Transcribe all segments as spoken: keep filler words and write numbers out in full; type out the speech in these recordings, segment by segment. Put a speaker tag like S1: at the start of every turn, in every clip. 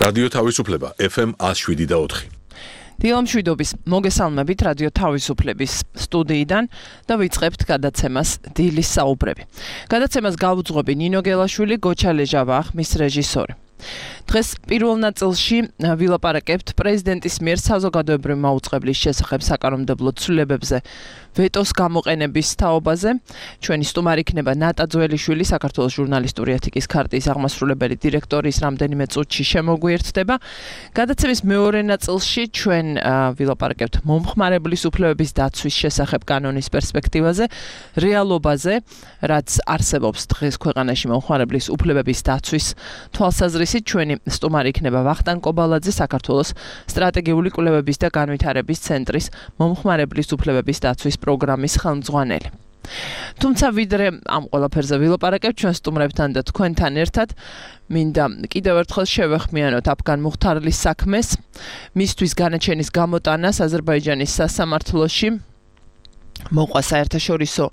S1: რადიო თავისუფლება ეფ ემ ათს შვიდი და ოთხი.
S2: დილამშვიდობის მოგესალმებით რადიო თავისუფლების სტუდიიდან და ვიწყებთ გადაცემას დილის საუბრები. გადაცემას გავუძღვები ნინო გელაშვილი, გოჩა ლეჟავა, მის რეჟისორი. დღეს პირველ ნაწილში ვილაპარაკებთ პრეზიდენტის მიერ საზოგადოებრივი მაუწყებლის შესახებ საკანონმდებლო ცვლილებებზე ვეტოს გამოყენების თაობაზე. ჩვენი სტუმარი იქნება ნატა ძველიშვილი, საქართველოს ჟურნალისტური ეთიკის ქარტიის აღმასრულებელი დირექტორის რამდენიმე წუთში შემოგვიერთდება. გადაცემის მეორე ნაწილში ჩვენ ვილაპარაკებთ მომხმარებლის უფლებების დაცვის შესახებ კანონის პერსპექტივაზე, რეალობაზე, რაც არსებობს დღეს ქვეყანაში მომხმარებლის უფლებების დაცვის თვალსაზრისით. ჩვენი სტუმარი იქნება ვახტანგ კობალაძე, საქართველოს სტრატეგიული კვლევების და განვითარების ცენტრის მომხმარებლის უფლებების დაცვის პროგრამის ხელმძღვანელი. თუმცა ვიდრე ამ ყველაფერზე ვილაპარაკებთ ჩვენ სტუმრებთან და თქვენთან ერთად, მინდა კიდევ ერთხელ შევეხმიანოთ აფგან მუხთარლის საქმეს, მისთვის განაჩენის გამოტანას აზერბაიჯანის სასამართლოში. მოყვა საერთაშორისო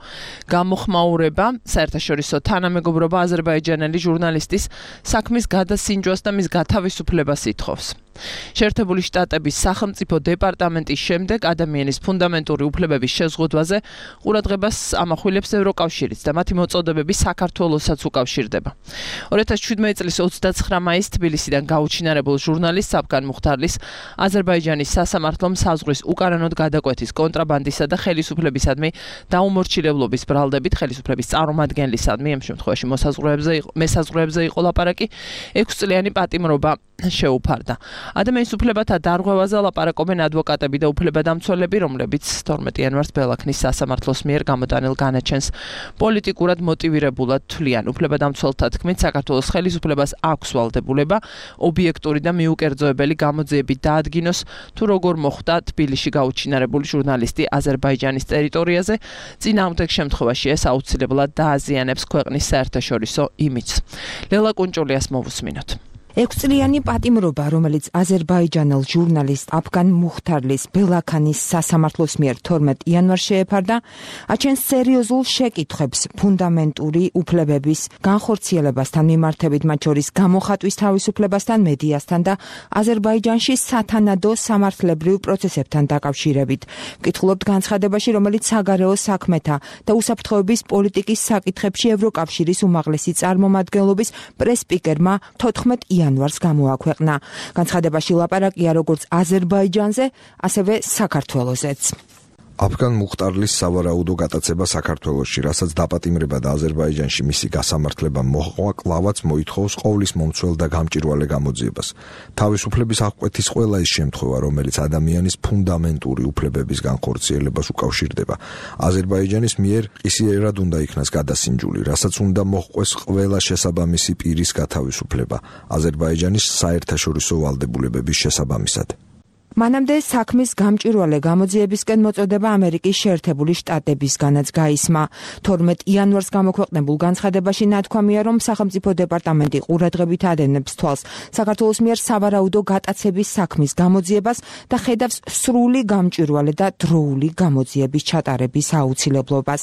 S2: გამოხმაურება, საერთაშორისო თანამეგობრობა აზერბაიჯანელი ჟურნალისტის საქმის გადასინჯვას და მის გათავისუფლებას ითხოვს. შეერთებული შტატების სახელმწიფო დეპარტამენტის შემდეგ ადამიანის ფუნდამენტური უფლებების შეზღუდვაზე ყურადღებას ამახვილებს ევროკავშირიც და მათი მოწოდებები საქართველოსაც უკავშირდება. ორი ათას შვიდმეტი წლის ოცდაცხრა მაისს თბილისიდან გაუჩინარებულ ჟურნალისტს აფგან მუხთარლის აზერბაიჯანის სასამართლომ საზღვრის უკანონოდ გადაკვეთის კონტრაბანდისა და ხელისუფლებისადმი დაუმორჩილებლობის ბრალდებით ხელისუფლების წარმომადგენლისადმი, ამ შემთხვევაში მოსაზღვრეებზე მესაზღვრეებზე იყო ლაპარაკი, ექვსწლიანი პატიმრობა შეუფარდა. ადამიანის უფლებათა დარღვევაზე ლაპარაკობენ ადვოკატები და უფლებადამცველები, რომლებიც თორმეტი იანვარს ბელაქნის სასამართლოს მიერ გამოტანილ განაჩენს პოლიტიკურად მოტივირებულად თვლიან. უფლებადამცველთა თქმით, საქართველოს ხელისუფლებას აქვს ვალდებულება ობიექტური და მიუკერძოებელი გამოძიებით დაადგინოს, თუ როგორ მოხდა თბილისში გაუჩინარებული ჟურნალისტი აზერბაიჯანის ტერიტორიაზე, წინააღმდეგ შემთხვევაში ეს აუცილებლად დააზიანებს ქვეყნის საერთაშორისო იმიჯს. ლელა კუნჭულიას მოვუსმინოთ.
S3: ექვსწლიანი პატიმრობა, რომელიც აზერბაიჯანელ ჟურნალისტ აფგან მუხთარლის ბელაქანის სასამართლოს მიერ თორმეტ იანვარს შეეფარდა, აჩენს სერიოზულ შეკითხვებს ფუნდამენტური უფლებების განხორციელებასთან მიმართებით, მათ შორის გამოხატვის თავისუფლებასთან, მედიასთან და აზერბაიჯანში სათანადო სამართლებრივ პროცესებთან დაკავშირებით. ვკითხულობთ განცხადებაში, რომელიც საგარეო საქმეთა და უსაფრთხოების პოლიტიკის საკითხებში ევროკავშირის უმაღლესი წარმომადგენლობის პრეს-სპიკერმა თოთხმეტ იანვარს გამოაქვეყნა. განცხადებაში ლაპარაკია როგორც აზერბაიჯანზე, ასევე საქართველოზეც.
S4: აფგან მუხტარლის სავარაუდო გატაცება საქართველოში, რასაც დაპატიმრება და აზერბაიჯანში მისი გასამართლება მოჰყვა, კლავაც მოითხოვს ყოვლის მომცველ და გამჭვირვალე გამოძიებას. თავისუფლების აღკვეთის ყველა ის შემთხვევა, რომელიც ადამიანის ფუნდამენტური უფლებების განხორციელებას უკავშირდება, აზერბაიჯანის მიერ ყისიერად უნდა იქნას გადასინჯული, რასაც უნდა მოჰყვეს ყველა შესაბამისი პირის გათავისუფლება აზერბაიჯანის საერთაშორისო ვალდებულებების შესაბამისად.
S3: მანამდე საქმის გამჭვირვალე გამოძიებისკენ მოწოდება ამერიკის შეერთებული შტატებისგანაც გაისმა. თორმეტ იანვარს გამოქვეყნებულ განცხადებაში ნათქვამია, რომ სახელმწიფო დეპარტამენტი ყურადღებით ადენებს თვალს საქართველოს მიერ სავარაუდო გატაცების საქმის გამოძიებას და ხედავს სრული გამჭვირვალე და დროული გამოძიების ჩატარების აუცილებლობას.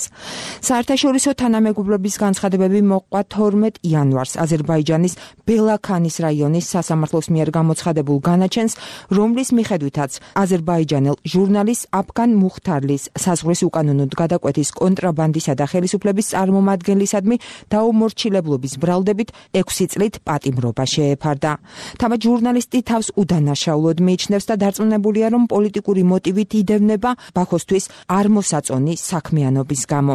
S3: საერთაშორისო თანამეგობრობის განცხადებები მოჰყვა თორმეტ იანვარს აზერბაიჯანის ბელაქანის რაიონის სასამართლოს მიერ გამოცხადებულ განაჩენს, რომლის მიხედვით აზერბაიჯანელ ჟურნალისტ აფგან მუხთარლის საზღვრის უკანონოდ გადაკვეთის კონტრაბანდისა და ხელისუფლების წარმომადგენლისადმი დაუმორჩილებლობის ბრალდებით ექვსი წლით პატიმრობა შეეფარდა. თამად ჟურნალისტი თავს უდანაშაულოდ მიიჩნევს და დარწმუნებულია, რომ პოლიტიკური მოტივით იდევნება ბაქოსთვის არ მოსაწონი საქმიანობის გამო.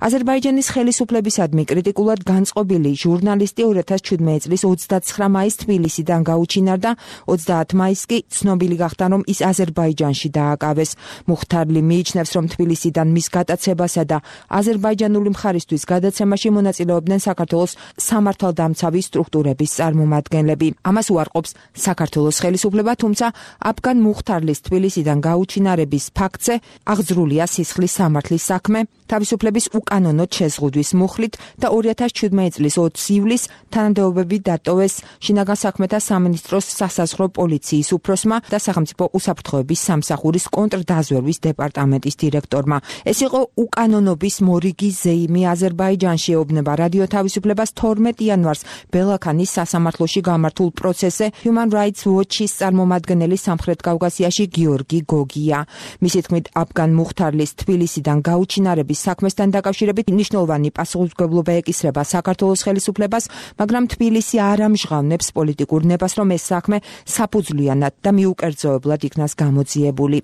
S3: აზერბაიჯანის ხელისუფლებისადმი კრიტიკულად განწყობილი ჟურნალისტი ორი ათას შვიდმეტი წლის ოცდაცხრა მაისს თბილისიდან გაუჩინარდა, ოცდაათი მაისს კი ცნობილი გახდა, რომ ის აზერბაიჯანში დააკავეს. მუხთარლი მიიჩნევს, რომ თბილისიდან მის გატაცებასა და აზერბაიჯანული მხარისთვის გადაცემაში მონაწილეობდნენ საქართველოს სამართალდამცავი სტრუქტურების წარმომადგენლები. ამას უარყოფს საქართველოს ხელისუფლება, თუმცა აფგან მუხთარლის თბილისიდან გაუჩინარების ფაქტზე აღძრულია სისხლის სამართლის საქმე, თავისუფლების უკანონოდ შეზღუდვის მუხლით და ორი ათას შვიდმეტი წლის ოცი ივლისს თანამდებობები დატოვეს შინაგან საქმეთა სამინისტროს სასაზღვრო პოლიციის უფროსმა და სახელმწიფო სახელმწიფო უსაფრთხოების სამსახურის კონტრდაზვერვის დეპარტამენტის დირექტორმა. ეს იყო უკანონობის მორიგი ზეიმი აზერბაიჯანში, ეუბნება რადიო თავისუფლებას თორმეტ იანვარს ბელაქანის სასამართლოში გამართულ პროცესზე Human Rights Watch-ის წარმომადგენელი სამხრეთ კავკასიაში გიორგი გოგია. მისი თქმით, აფგან მუხთარლის თბილისიდან გაუჩინარების საქმესთან დაკავშირებით მნიშვნელოვანი პასუხისმგებლობა ეკისრება საქართველოს ხელისუფლებას, მაგრამ თბილისი არ ამჟღავნებს პოლიტიკურ ნებას, რომ ეს საქმე საფუძვლიანად და მიუკერძოებლად იქნას გამოძიებული.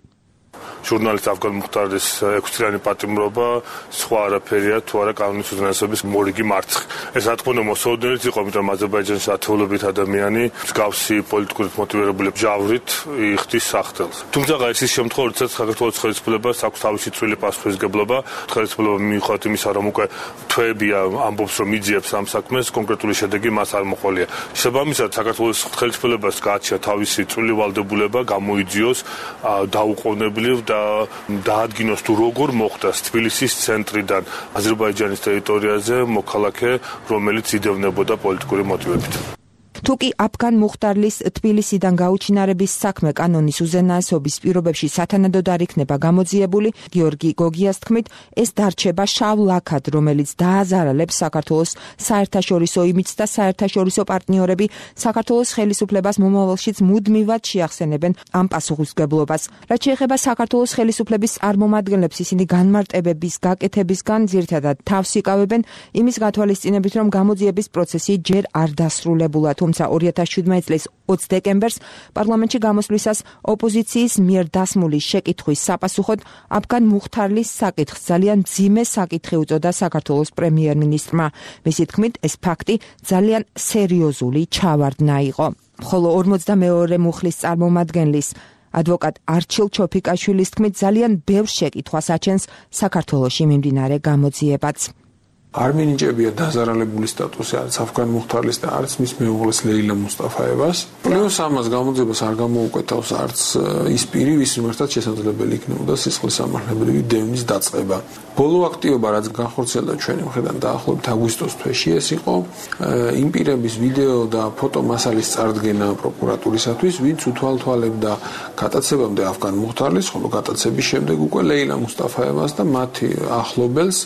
S5: ჟურნალისტ აფგან მუხთარის ექვსწლიანი პატიმრობა სხვა არაფერია თუ არა კანონის უზენაესობის მორიგი მარცხი. ეს რა თქმა უნდა მოსაოდნელიც იყო, იმიტომ რომ აზერბაიჯანში ათეულობით ადამიანი მსგავსი პოლიტიკურად მოტივირებული ჯავრით იხდის სახთელს. თუმცა ეს ის შემთხვევა, როდესაც საქართველოს ხელისუფლებას აქვს თავისი წვრილი პასუხისმგებლობა, ხელისუფლება მიუხედავად იმისა, რომ უკვე თვეებია ამბობს, რომ იძიებს ამ საქმეს, კონკრეტული შედეგი მას არ მოყოლია. შესაბამისად, საქართველოს ხელისუფლებას გააჩნია თავისი წვრილი ვალდებულება გამოიძიოს დაუყოვნებლივ და დაადგინოს თუ როგორ მოხდა თბილისის ცენტრიდან აზერბაიჯანის ტერიტორიაზე მოქალაქე, რომელიც იდევნებოდა პოლიტიკური მოტივებით.
S3: თუკი აფგან მუხტარლის თბილისიდან გაუჩინარების საქმე კანონის უზენაესობის პირობებში სათანადოდ არ იქნება გამოძიებული, გიორგი გოგიას თქმით, ეს დარჩება შავ ლაქად, რომელიც დააზარალებს საქართველოს საერთაშორისო იმიჯს და საერთაშორისო პარტნიორები საქართველოს ხელისუფლებას მომავალშიც მუდმივად შეახსენებენ ამ პასუხისმგებლობას. რაც შეეხება საქართველოს ხელისუფლების წარმომადგენლებს, ისინი განმარტებების გაკეთებისგან ძირითადად თავს იკავებენ იმის გათვალისწინებით, რომ გამოძიების პროცესი ჯერ არ დასრულებულა. თუმცა ორი ათას შვიდმეტი წლის ოცი დეკემბერს პარლამენტში გამოსვლისას ოპოზიციის მიერ დასმული შეკითხვის საპასუხოდ აფგან მუხთარლის საკითხს ძალიან მძიმე საკითხი უწოდა საქართველოს პრემიერ-მინისტრმა. მისი თქმით, ეს ფაქტი ძალიან სერიოზული ჩავარდნა იყო. ხოლო ორმოცდამეორე მუხლის წარმომადგენლის ადვოკატ არჩილ ჩოფიკაშვილის თქმით, ძალიან ბევრ შეკითხვას აჩენს საქართველოში მიმდინარე გამოძიებაც.
S6: არ მინიჭებია დაზარალებული სტატუსი არც აფგან მუხთარლის და არც მის მეუღლეს ლეილა მუსტაფაევას. პლუს ამას გამოძიებას არ გამოუკვეთავს არც ის პირი, ვის მიმართაც შესაძლებელი იქნებოდა სისხლის სამართლებრივი დევნის დაწყება. ბოლო აქტივობა, რაც განხორციელდა ჩვენი მხრიდან დაახლოებით აგვისტოს თვეში, ეს იყო იმ პირების ვიდეო და ფოტო მასალის წარდგენა პროკურატურისათვის, ვინც უთვალთვალებდა გატაცებამდე აფგან მუხთარლის, ხოლო გატაცების შემდეგ უკვე ლეილა მუსტაფაევას და მათი ახლობელს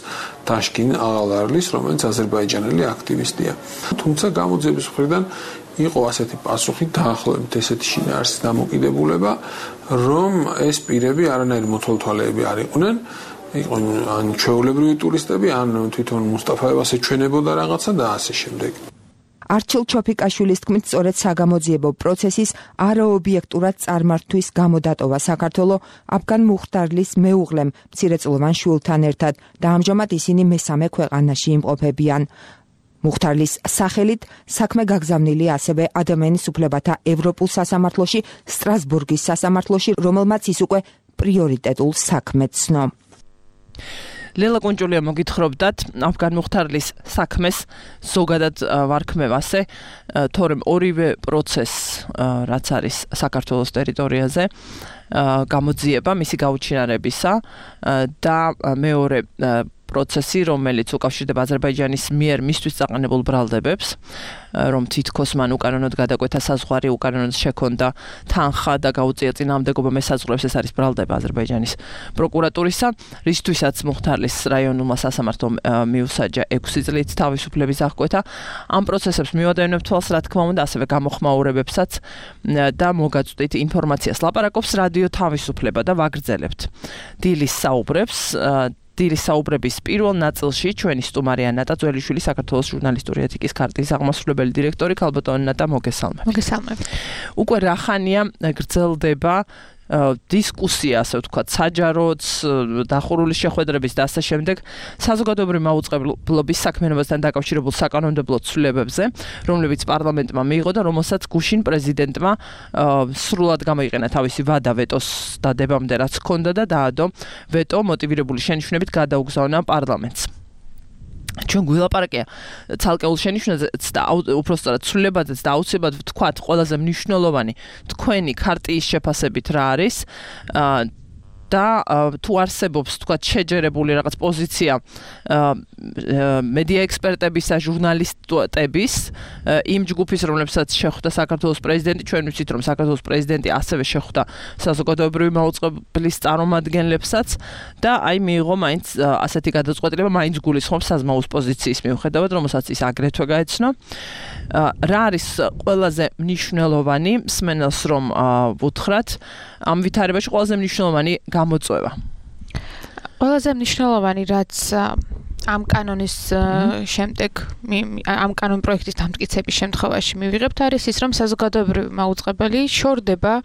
S6: ტაშკინ აღალარლის, რომელიც აზერბაიჯანელი აქტივისტია. თუმცა გამოძიების მხრიდან იყო ასეთი პასუხი, დაახლოებით ესეთი შინაარსის დამოკიდებულება, რომ ეს პირები არანაირი მოთვალთვალეები არ იყვნენ, იყო ან ჩვეულებრივი ტურისტები, ან თვითონ მუსტაფაევას ეჩვენებოდა რაღაცა და ასე შემდეგ.
S3: არჩილ ჩოფიკაშვილის თქმით, სწორედ საგამოძიებო პროცესის არაობიექტურად წარმართვის გამო დატოვა საქართველო აფგან მუხტარლის მეუღლემ მცირეწლოვან შვილთან ერთად და ამჟამად ისინი მესამე ქვეყანაში იმყოფებიან. მუხტარლის სახელით საქმე გაგზავნილი ასევე ადამიანის უფლებათა ევროპულ სასამართლოში, სტრასბურგის სასამართლოში, რომელმაც ის უკვე პრიორიტეტულ საქმედ ცნო.
S2: ლელა კუნჭულია მოგითხრობდათ აფგან მუხთარლის საქმეს ზოგადად ვარქმევასე, თორემ ორივე პროცესს, რაც არის საქართველოს ტერიტორიაზე, გამოძიება მისი გაუჩინარებისა და მეორე პროცესი, რომელიც უკავშირდება აზერბაიჯანის მიერ მისთვის წაყენებულ ბრალდებებს, რომ თითქოს მან უკანონოდ გადაკვეთა საზღვარი, უკანონოდ შექონდა თანხა და გაუწია წინააღმდეგობა მესაზღვრებს, ეს არის ბრალდება აზერბაიჯანის პროკურატურისა, რისთვისაც მუხთარლის რაიონულმა სასამართლომ მიუსაჯა ექვსი წლით თავისუფლების აღკვეთა. ამ პროცესებს მივადევნებთ თვალს, რა თქმა უნდა, ასევე გამოხმაურებებსაც და მოგაწვდით ინფორმაციას. ლაპარაკობს რადიო თავისუფლება და ვაგრძელებთ დილის საუბრებს. დილის საუბრების პირველ ნაწილში ჩვენი სტუმარია ნატა ძველიშვილი, საქართველოს ჟურნალისტური ეთიკის ქარტიის აღმასრულებელი დირექტორი. ქალბატონი ნატა, მოგესალმებით.
S7: მოგესალმებით.
S2: უკვე რა ხანია გრძელდება დისკუსია, ასე ვთქვათ, საჯაროც, დახურული შეხვედრების და ასე შემდეგ საზოგადოებრივი მაუწყებლობის საქმიანობასთან დაკავშირებულ საკანონმდებლო ცვლილებებზე, რომლებიც პარლამენტმა მიიღო და რომელსაც გუშინ პრეზიდენტმა სრულად გამოიყენა თავისი ვადა ვეტოს დადებამდე, რაც ჰქონდა და დაადო ვეტო მოტივირებული შენიშვნებით გადაუგზავნა პარლამენტს. ჩვენ გვილაპარაკია ცალკეულ შენიშვნაზეც და უпростоრად ცვლილებაზეც და აუცილებლად ვთქვათ ყველაზე მნიშვნელოვანი თქვენი ქარტიის შეფასებით რა არის და თუ არსებობს თქვა შეჯერებული რაღაც პოზიცია მედია ექსპერტების და ჟურნალისტების იმ ჯგუფის, რომლებსაც შეხვდა საქართველოს პრეზიდენტი, ჩვენ ვიცით, რომ საქართველოს პრეზიდენტი ასევე შეხვდა საზოგადოებრივი მაუწყებლის წარმომადგენლებსაც და აი მიიღო მაინც ასეთი გადაწყვეტილება, მაინც გულისხმობს საზმაუს პოზიციის მიუხედავად, რომელსაც ის აგრეთვე გაეცნო. რა არის ყველაზე მნიშვნელოვანი მსმენელს რომ ვუთხრათ ამ ვითარებაში ყველაზე მნიშვნელოვანი გამოწვევა?
S7: ყველაზე მნიშვნელოვანი რაც ამ კანონის შემდეგ ამ კანონ პროექტის დამტკიცების შემთხვევაში მივიღებთ არის ის, რომ საზოგადოებრივი მაუწყებელი შორდება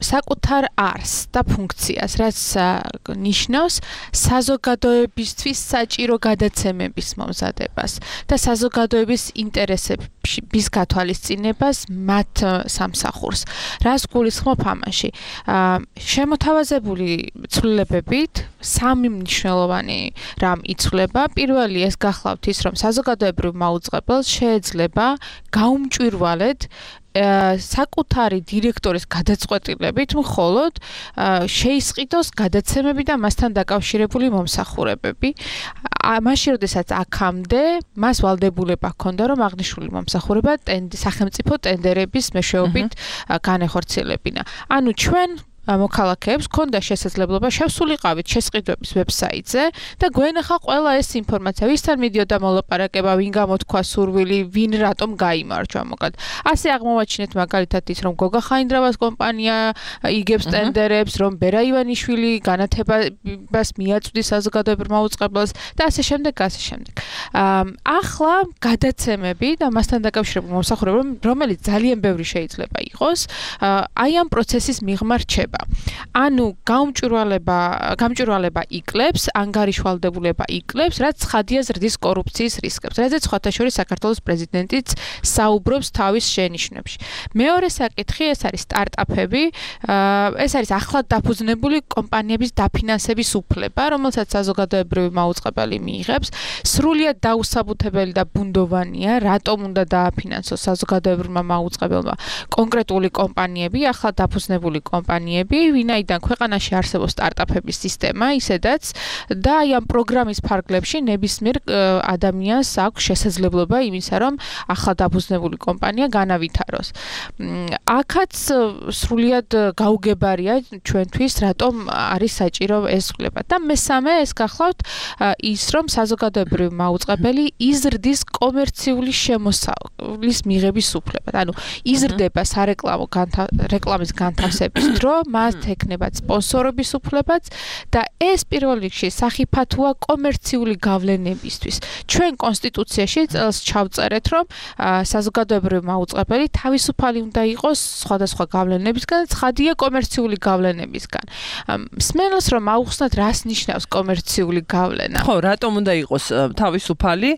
S7: საკუთარ არსს და ფუნქციას, რაც ნიშნავს საზოგადოებისთვის საჭირო გადაცემების მომზადებას და საზოგადოების ინტერესების გათვალისწინებას მათ სამსახურს. რას გულისხმობ ამაში? შემოთავაზებული ცვლილებებით სამი მნიშვნელოვანი რამ იცვლება. პირველი ეს გახლავთ ის, რომ საზოგადოებრივ მაუწყებელს შეეძლება გაუმჭვირვალედ საკუთარი დირექტორის გადაწყვეტილებით მხოლოდ შეისყიდოს გადაცემები და მასთან დაკავშირებული მომსახურებები. მაშინ, როდესაც აქამდე მას ვალდებულება ჰქონდა, რომ აღნიშნული მომსახურება სახელმწიფო ტენდერების მეშვეობით განეხორციელებინა. ანუ ჩვენ მოქალაქეებს ქონდა შესაძლებლობა შევსულიყავით შესყიდვების ვებსაიტზე და გვენახა ყველა ეს ინფორმაცია, ვისთან მიდიოდა მოლაპარაკება, ვინ გამოთქვა სურვილი, ვინ რატომ გაიმარჯვა, მოკლედ. ასე აღმოვაჩინეთ მაგალითად ის, რომ გოგა ხაინდრავას კომპანია იგებს ტენდერებს, რომ ბერა ივანიშვილი განათებას მიაწვდის საზოგადოებრივ მაუწყებელს და ასე შემდეგ, ასე შემდეგ. ახლა გადაცემები და მასთან დაკავშირებული მომსახურება, რომელიც ძალიან ბევრი შეიძლება იყოს, აი ამ პროცესის მიღმა რჩება. ანუ გაუმჭვირვალება, გამჭვირვალება იკლებს, ანგარიშვალდებულება იკლებს, რაც ცხადია ზრდის კორუფციის რისკებს. რაზეც სხვათა შორის საქართველოს პრეზიდენტიც საუბრობს თავის შენიშვნებში. მეორე საკითხი ეს არის სტარტაპები, ეს არის ახლად დაფუძნებული კომპანიების დაფინანსების უფლება, რომელსაც საზოგადოებრივი მაუწყებელი მიიღებს. სრულიად დაუსაბუთებელი და ბუნდოვანია, რატომ უნდა დააფინანსოს საზოგადოებრივმა მაუწყებელმა კონკრეტული კომპანიები, ახლად დაფუძნებული კომპანიები, ვინაიდან ქვეყანაში არსებობს სტარტაპების სისტემა, ისედაც და აი ამ პროგრამის ფარგლებში ნებისმიერ ადამიანს აქვს შესაძლებლობა იმისა, რომ ახლად დაფუძნებული კომპანია განავითაროს. აქაც სრულიად გაუგებარია ჩვენთვის, რატომ არის საჭირო ეს ცვლილება. და მესამე ეს გახლავთ ის, რომ საზოგადოებრივი მაუწყებელი იზრდის კომერციული შემოსავლის მიღების უფლებად. ანუ იზრდება სარეკლამო რეკლამის განთავსების დრო, მას ექნება სპონსორობის უფლებაც და ეს პირველ რიგში სახიფათოა კომერციული გავლენებისთვის. ჩვენ კონსტიტუციაში წელს ჩავწერეთ, რომ საზოგადოებრივი მაუწყებელი თავისუფალი უნდა იყოს სხვადასხვა გავლენებისგან, ცხადია კომერციული გავლენებისგან. მსმენელს რომ აუხსნათ, რას ნიშნავს კომერციული გავლენა?
S2: ხო, რატომ უნდა იყოს თავისუფალი?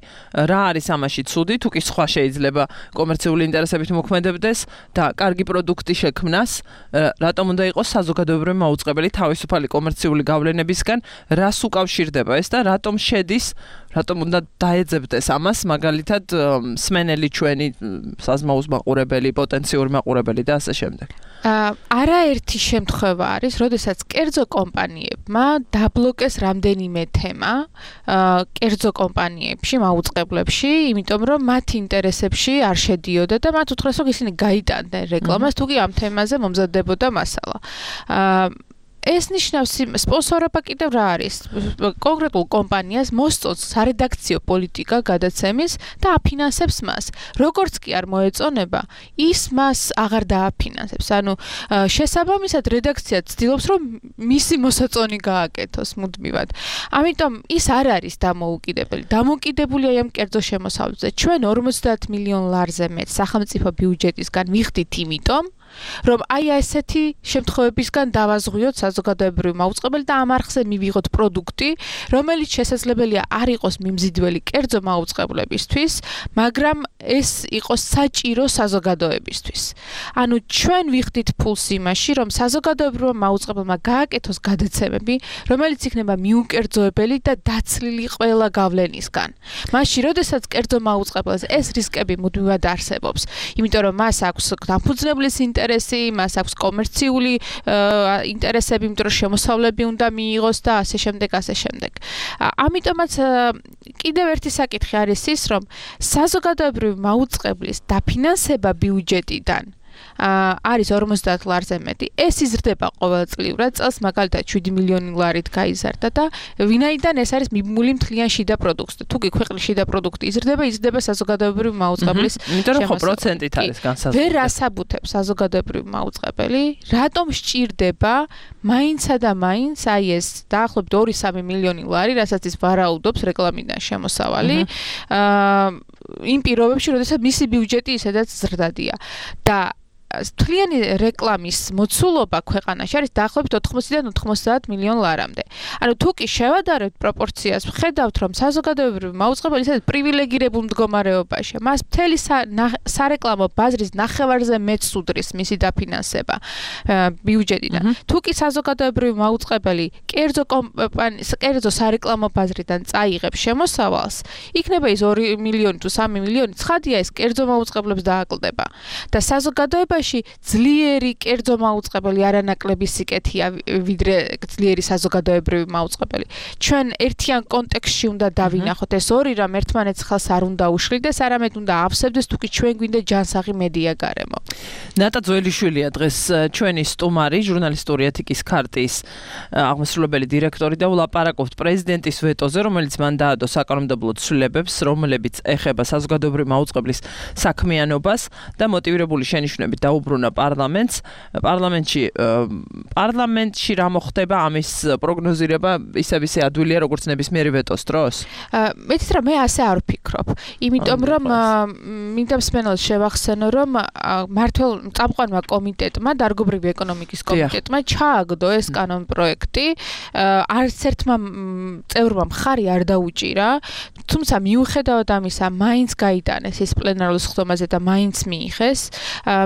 S2: რა არის ამაში ცუდი? თუ კი სხვა შეიძლება კომერციული ინტერესებით მოქმედებდეს და კარგი პროდუქტი შექმნას, რატომ უნდა იყოს საზოგადოებრივი მაუწყებელი თავისუფალი კომერციული გავლენებისგან? რას უკავშირდება ეს და რატომ შედის, რატომ უნდა დაეძებდეს ამას მაგალითად მსმენელი ჩვენი საზმაუს მაყურებელი, პოტენციური მაყურებელი და ასე შემდეგ?
S7: არაერთი შემთხვევა არის, როდესაც კერძო კომპანიებმა დაბლოკეს რამდენიმე თემა კერძო კომპანიებში, მაუწყებლებში, იმიტომ რომ მათ ინტერესებში არ შედიოდა და მათ უთხრეს, რომ ისინი გაიტანდნენ რეკლამას, თუ კი ამ თემაზე მომზადდებოდა მასალა. ეს ნიშნავს სპონსორობა კიდევ რა არის? კონკრეტულ კომპანიას მოსწონს სარედაქციო პოლიტიკა გადაცემის და აფინანსებს მას. როგორც კი არ მოეწონება, ის მას აღარ დააფინანსებს. ანუ შესაბამისად რედაქცია ცდილობს, რომ მისი მოსაწონი გააკეთოს მუდმივად. ამიტომ ის არ არის დამოუკიდებელი. დამოუკიდებულია ამ კერძო შემოსავლებზე. ჩვენ ორმოცდაათ მილიონ ლარზე მეტ სახელმწიფო ბიუჯეტისგან ვიხდით იმიტომ, რომ აი ესეთი შემთხვევებისგან დავაზღვიოთ საზოგადოებრივი მაუწყებელი და ამ არხზე მივიღოთ პროდუქტი, რომელიც შესაძლებელია არ იყოს მიმზიდველი კერძო მაუწყებლებისთვის, მაგრამ ეს იყოს საჭირო საზოგადოებისთვის. ანუ ჩვენ ვიხდით ფულს იმაში, რომ საზოგადოებრივმა მაუწყებელმა გააკეთოს გადაცემები, რომელიც იქნება მიუკერძოებელი და დაცლილი ყველა გავლენისგან. მაშინ, როდესაც კერძო მაუწყებელს ეს რისკები მუდმივად არსებობს, იმიტომ რომ მას აქვს დამფუძნებლის ინტერესი, მას აქვს კომერციული ინტერესები, იმიტომ რომ შემოსავლები უნდა მიიღოს და ასე შემდეგ, ასე შემდეგ. ამიტომაც კიდევ ერთი საკითხი არის ის, რომ საზოგადოებრივი მაუწყებლის დაფინანსება ბიუჯეტიდან არის ორმოცდაათ ლარზე მეტი. ეს იზრდება ყოველწლიურად, წელს მაგალითად შვიდი მილიონი ლარით გაიზარდა და ვინაიდან ეს არის მიბმული მთლიან შიდა პროდუქტზე. თუ კი ქვეყნის შიდა პროდუქტი იზრდება, იზრდება საზოგადოებრივი მაუწყებლის
S2: შემოსავალი. იმიტომ რომ ხო პროცენტით არის განსაზღვრული.
S7: ვერ ასაბუთებს საზოგადოებრივი მაუწყებელი, რატომ სჭირდება მაინცა და მაინც აი ეს დაახლოებით ორი სამი მილიონი ლარი, რასაც ის ვარაუდობს რეკლამიდან შემოსავალი. აა იმ პირობებში, როდესაც მისი ბიუჯეტი ისედაც ზრდადია და მთლიანი რეკლამის მოცულობა ქვეყანაში არის დაახლოებით ოთხმოცდაიდან ოთხმოცდაათ მილიონ ლარამდე. ანუ თუ კი შევადარებთ პროპორციას, ვხედავთ რომ საზოგადოებრივი მაუწყებელი ისეთ პრივილეგირებულ მდგომარეობაშია. მას მთელი სარეკლამო ბაზრის ნახევარზე მეტს უდრის მისი დაფინანსება ბიუჯეტიდან. თუ კი საზოგადოებრივი მაუწყებელი კერძო კომპანიის, კერძო სარეკლამო ბაზრიდან წაიღებს შემოსავალს, იქნება ის ორი მილიონი თუ სამი მილიონი, ცხადია ეს კერძო მაუწყებლებს დააკლდება. და საზოგადოება ძლიერი კერძო მაუწყებელი არანაკლები სიკეთეა ვიდრე ძლიერი საზოგადოებრივი მაუწყებელი. ჩვენ ერთიან კონტექსტში უნდა დავინახოთ ეს ორი რამ ერთმანეთს ხელს არ უნდა უშლიდეს, არამედ უნდა ავსებდეს თუ კი ჩვენ გვინდა ჯანსაღი მედია გარემო.
S2: ნატა ძველიშვილია დღეს ჩვენი სტუმარი, ჟურნალისტური ეთიკის ქარტიის აღმასრულებელი დირექტორი და ვლაპარაკობთ პრეზიდენტის ვეტოზე, რომელიც მან დაადო საკანონმდებლო ცვლილებებს, რომლებიც ეხება საზოგადოებრივი მაუწყებლის საქმიანობას და მოტივირებული შენიშვნებით დაუბრუნა პარლამენტს. პარლამენტში პარლამენტში რა მოხდება ამის პროგნოზირება ისევ ისე ადვილია როგორც ნებისმიერი ვეტოს დროს?
S7: მეც რა მე ასე არ ვფიქრობ. იმიტომ რომ მინდა მსმენელს შევახსენო რომ მართლ წამყვანმა კომიტეტმა, დარგობრივი ეკონომიკის კომიტეტმა ჩააგდო ეს კანონპროექტი. არც ერთმა წევრმა მხარი არ დაუჭირა, თუმცა მიუხედავად ამისა, მაინც გაიტანეს ეს პლენარულ სხდომაზე და მაინც მიიღეს.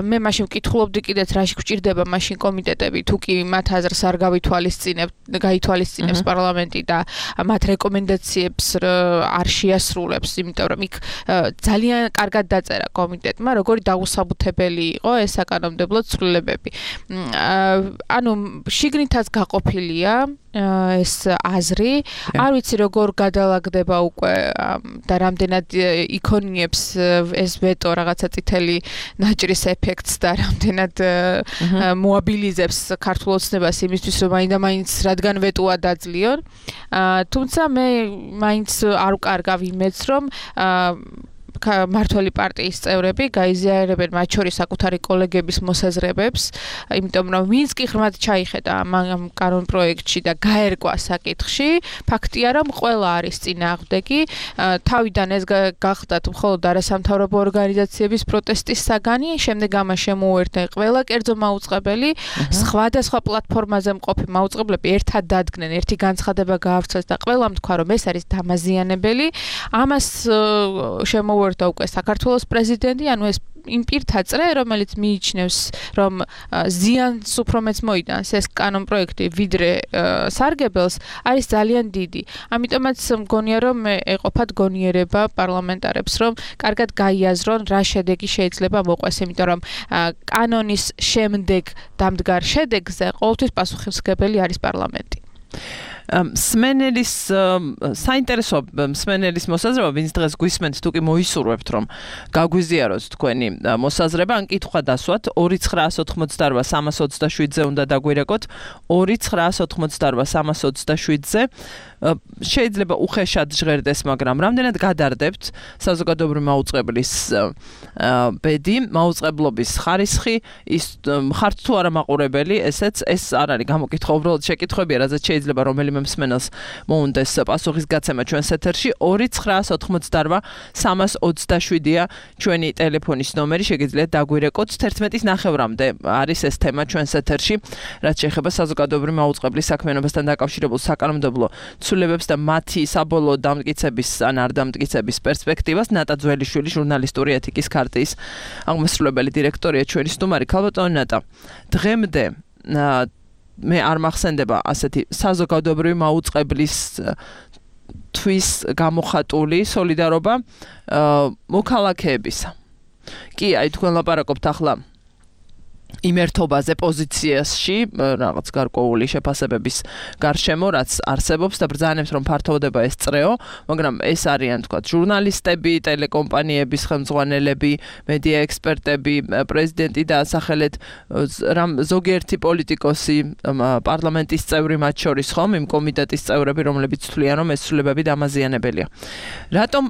S7: მე მაშინ ვკითხულობდი კიდეც რაში გვჭირდება მაშინ კომიტეტები, თუ კი მათ აზრს არ გავითვალისწინებთ, გაითვალისწინებს პარლამენტი და მათ რეკომენდაციებს არ შეასრულებს, იმიტომ რომ იქ ძალიან კარგად დაწერა კომიტეტმა, როგორი დაუსაბუთებელი იყო ეს საკანონმდებლო ცვლილებები. ანუ შიგნითაც გაყოფილია ეს აზრი, არ ვიცი როგორ გადალაგდება უკვე და რამდენად იქონიებს ეს ვეტო რაღაცა წითელი ნაჭრის ეფექტს და რამდენად მოაბილიზებს ქართულ ოცნებას იმისთვის რომ მაინდა მაინც რადგან ვეტოა დაძლიონ. თუმცა მე მაინც არ ვკარგავ იმედს რომ მართველი პარტიის წევრები გაიზიარებენ მათ შორის საკუთარი კოლეგების მოსაზრებებს, იმიტომ რომ ვინც კი ღრმად ჩაიხედა ამ კანონპროექტში და გაერკვა საკითხში, ფაქტია რომ ყველა არის წინააღმდეგი. თავიდან ეს გახდათ მხოლოდ არასამთავრობო ორგანიზაციების პროტესტის საგანი, შემდეგ ამას შემოუერთდა ყველა კერძო მაუწყებელი, სხვადასხვა პლატფორმაზე მყოფი მაუწყებლები ერთად დადგნენ, ერთი განცხადება გაავრცელეს და ყველამ თქვა რომ ეს არის დამაზიანებელი. ამას შემოუერთდა და უკვე საქართველოს პრეზიდენტი, ანუ ეს იმ პირთა წრე, რომელიც მიიჩნევს, რომ ზიანს უფრო მეც მოიტანს ეს კანონპროექტი ვიდრე სარგებელს, არის ძალიან დიდი. ამიტომაც მგონია, რომ ეყოფათ გონიერება პარლამენტარებს, რომ კარგად გაიაზრონ, რა შედეგი შეიძლება მოყვეს, იმიტომ რომ კანონის შემდეგ დამდგარ შედეგზე ყოველთვის პასუხისმგებელი არის პარლამენტი.
S2: მსმენელის საინტერესო მსმენელის მოსაზრება, ვინც დღეს გვისმენთ, თუ კი მოისურვებთ, რომ გაგვიზიაროთ თქვენი მოსაზრება, ან კითხვა დასვათ ორი ცხრაას ოთხმოცდაორ სამას ოცდაშვიდზე უნდა დაგვირეკოთ, ორი ცხრაას ოთხმოცდაორ სამას ოცდაშვიდზე. შეიძლება უხეშად ჟღერდეს, მაგრამ რამდენად გადარდებთ საზოგადოებრივი მაუწყებლის ბედი, მაუწყებლობის ხარისხი, ის ხართ თუ არა მაყურებელი, ესეც ეს არ არის გამოკითხვა, უბრალოდ შეკითხვებია, რაზეც შეიძლება რომელიმე მსმენელს მოუნდეს პასუხის გაცემა ჩვენს ეთერში. ორი ცხრაას ოთხმოცდაორ სამას ოცდაშვიდია ჩვენი ტელეფონის ნომერი, შეგიძლიათ დაგვირეკოთ. თერთმეტის ნახევრამდე არის ეს თემა ჩვენს ეთერში, რაც შეეხება საზოგადოებრივი მაუწყებლის საქმიანობასთან დაკავშირებულ საკანონმდებლო ცვლილებებს და მათი საბოლოო დამტკიცების ან არ დამტკიცების პერსპექტივას. ნატა ძველიშვილი, ჟურნალისტური ეთიკის ქარტიის აღმასრულებელი დირექტორია ჩვენი სტუმარი. ქალბატონო ნატა, დღემდე მე არ მახსენდება ასეთი საზოგადოებრივი მაუწყებლის თვის გამოხატული სოლიდარობა მოქალაქეებისა. კი, აი თქვენ ლაპარაკობთ ახლა იმერთობაზე პოზიციაში რაღაც გარკვეული შეფასებების გარშემო რაც არსებობს და ბრძანებს რომ ფართოვდება ეს წრეო, მაგრამ ეს არიან თქვა ჟურნალისტები, ტელეკომპანიების ხელმძღვანელები, მედია ექსპერტები, პრეზიდენტი და ასახელეთ ზოგიერთი პოლიტიკოსი, პარლამენტის წევრი მათ შორის ხომ, იმ კომიტეტის წევრები, რომლებიც თვლიან რომ ეს ცვლილებები დამაზიანებელია. რატომ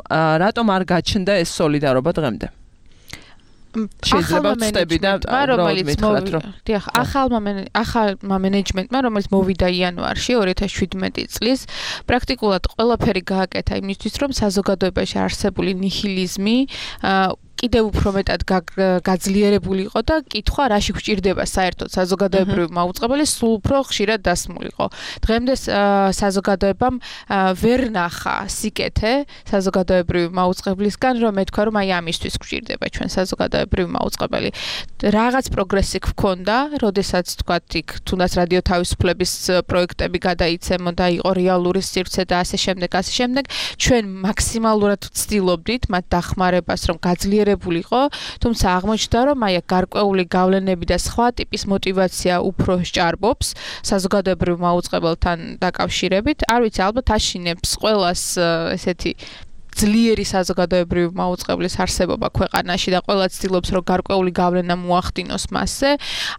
S2: რატომ არ გაჩნდა ეს სოლიდარობა დღემდე? შეიძლება ვწდები და
S7: რომელიც დიახ, ახალმა ახალმა მენეჯმენტმა, რომელიც მოვიდა იანვარში ორი ათას შვიდმეტი წლის, პრაქტიკულად ყველაფერი გააკეთა იმისთვის, რომ საზოგადოებაში არსებული ნიჰილიზმი კიდევ უფრო მეტად გაძლიერებულიყო და კითხვა რაში გვჭირდება საერთოდ საზოგადოებრივი მაუწყებელი სულ უფრო ხშირად დასმულიყო. დღემდე საზოგადოებამ ვერ ნახა სიკეთე საზოგადოებრივი მაუწყებლისგან, რომ ეთქვა რომ აი ამისთვის გვჭირდება ჩვენ საზოგადოებრივი მაუწყებელი. რაღაც პროგრესი გქონდა, როდესაც თქვათ იქ თუნდაც რადიო თავისუფლების პროექტები გადაიცემოდა, იყო რეალური სივრცე და ასე შემდეგ, ასე შემდეგ. ჩვენ მაქსიმალურად ვცდილობდით მათ დახმარებას, რომ გაძლიერებულიყო ულიყო, თუმცა აღმოჩნდა რომ აი გარკვეული გავლენები და სხვა ტიპის мотиваცია უფრო სჭარბობს საზოგადოებრივ მაუწყებელთან დაკავშირებით. არ ვიცი, ალბათ აშინებს ყველას ესეთი ძლიერი საზოგადოებრივი მაუწყებლის არსებობა ქვეყანაში და ყველა ცდილობს რომ გარკვეული გავლენა მოახდინოს მასზე.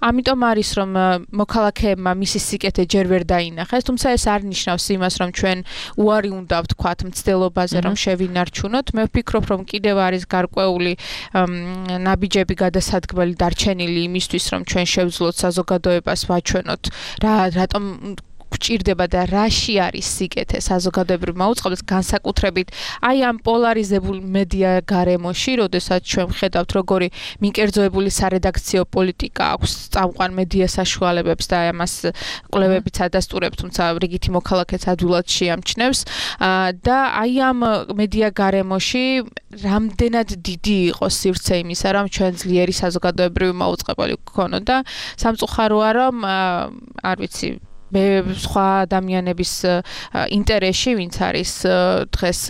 S7: ამიტომ არის რომ მოქალაქეებმა მისი სიკეთე ჯერ ვერ დაინახეს, თუმცა ეს არ ნიშნავს იმას რომ ჩვენ უარი უნდა ვთქვათ მცდელობაზე რომ შევინარჩუნოთ. მე ვფიქრობ რომ კიდევ არის გარკვეული ნაბიჯები გადასადგმელი დარჩენილი იმისთვის რომ ჩვენ შევძლოთ საზოგადოებას ვაჩვენოთ რა რატომ გვჭირდება და რაში არის სიკეთე საზოგადოებრივ მაუწყებელს განსაკუთრებით აი ამ პოლარიზებულ მედია გარემოში, როდესაც ჩვენ ვხედავთ როგორი მიკერძოებული სარედაქციო პოლიტიკა აქვს წამყვან მედია საშუალებებს და ამას კვლევებიც ადასტურებს, თუმცა რიგითი მოქალაქეც ადვილად შეამჩნევს და აი ამ მედია გარემოში რამდენად დიდი იყო სივრცე იმისა, რომ ჩვენ ძლიერი საზოგადოებრივი მაუწყებელი გქონოდა და სამწუხაროა რომ არ ვიცი მე სხვა ადამიანების ინტერესში, ვინც არის დღეს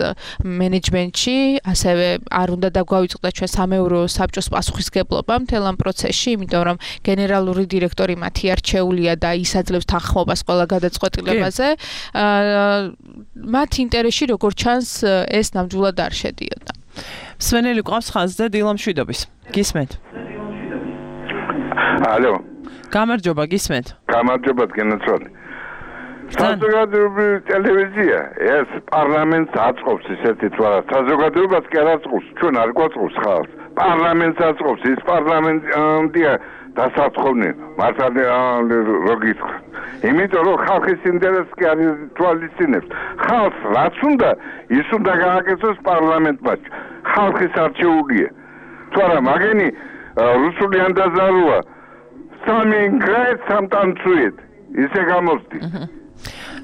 S7: მენეჯმენტში, ასევე არ უნდა დაგვავიწყდა ჩვენ სამეურვეო საბჭოს პასუხისგებლობა მთელ ამ პროცესში, იმიტომ რომ გენერალური დირექტორი მათი არჩეულია და ისაძლევს თანხმობას ყველა გადაწყვეტილებაზე. მათ ინტერესში როგორ ჩანს ეს ნამდვილად არ შედიოდა.
S2: სვენელი ყავს ხაზზე დილამშვიდობის. გისმენთ?
S8: ალო.
S2: გამარჯობა, გისმენთ?
S8: გამარჯობა, გენაცვალე. საზოგადოებრივი ტელევიზია ეს პარლამენტს აწყობს ისეთი თვალა. საზოგადოებას კი არ აწყობს, ჩვენ არ გვაწყობს ხალხს. პარლამენტს აწყობს, ის პარლამენტია დასაწყობნი, მართალი როგიცხ. იმიტომ რომ ხალხის ინტერესს კი არ თვალისწინებს. ხალხს რაც უნდა, ის უნდა გააკეთოს პარლამენტმა. ხალხის არჩეულია. თუ არა, მაგენი რუსული ანდაზაროა. სამი გრეთ სამტანცუით ისე გამოსდი.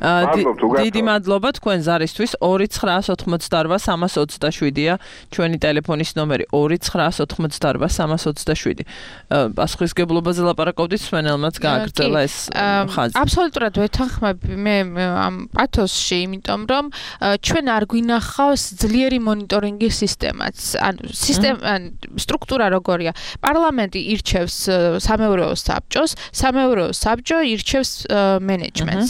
S2: დიდი მადლობა თქვენ ზარისთვის. ორი ცხრაას ოთხმოცდაორვა სამას ოცდაშვიდია ჩვენი ტელეფონის ნომერი ორი ცხრაას ოთხმოცდაორვა სამას ოცდაშვიდი. პასუხისგებლობაზე ლაპარაკობდით, სვენელმაც გააგრძელა ეს ხაზი.
S7: აბსოლუტურად ვეთანხმები მე ამ პათოსში, იმიტომ რომ ჩვენ არ გვინახავს ძლიერი მონიტორინგის სისტემაც. ანუ სისტემა სტრუქტურა როგორია? პარლამენტი ირჩევს სამეურვეო საბჭოს, სამეურვეო საბჭო ირჩევს მენეჯმენტს.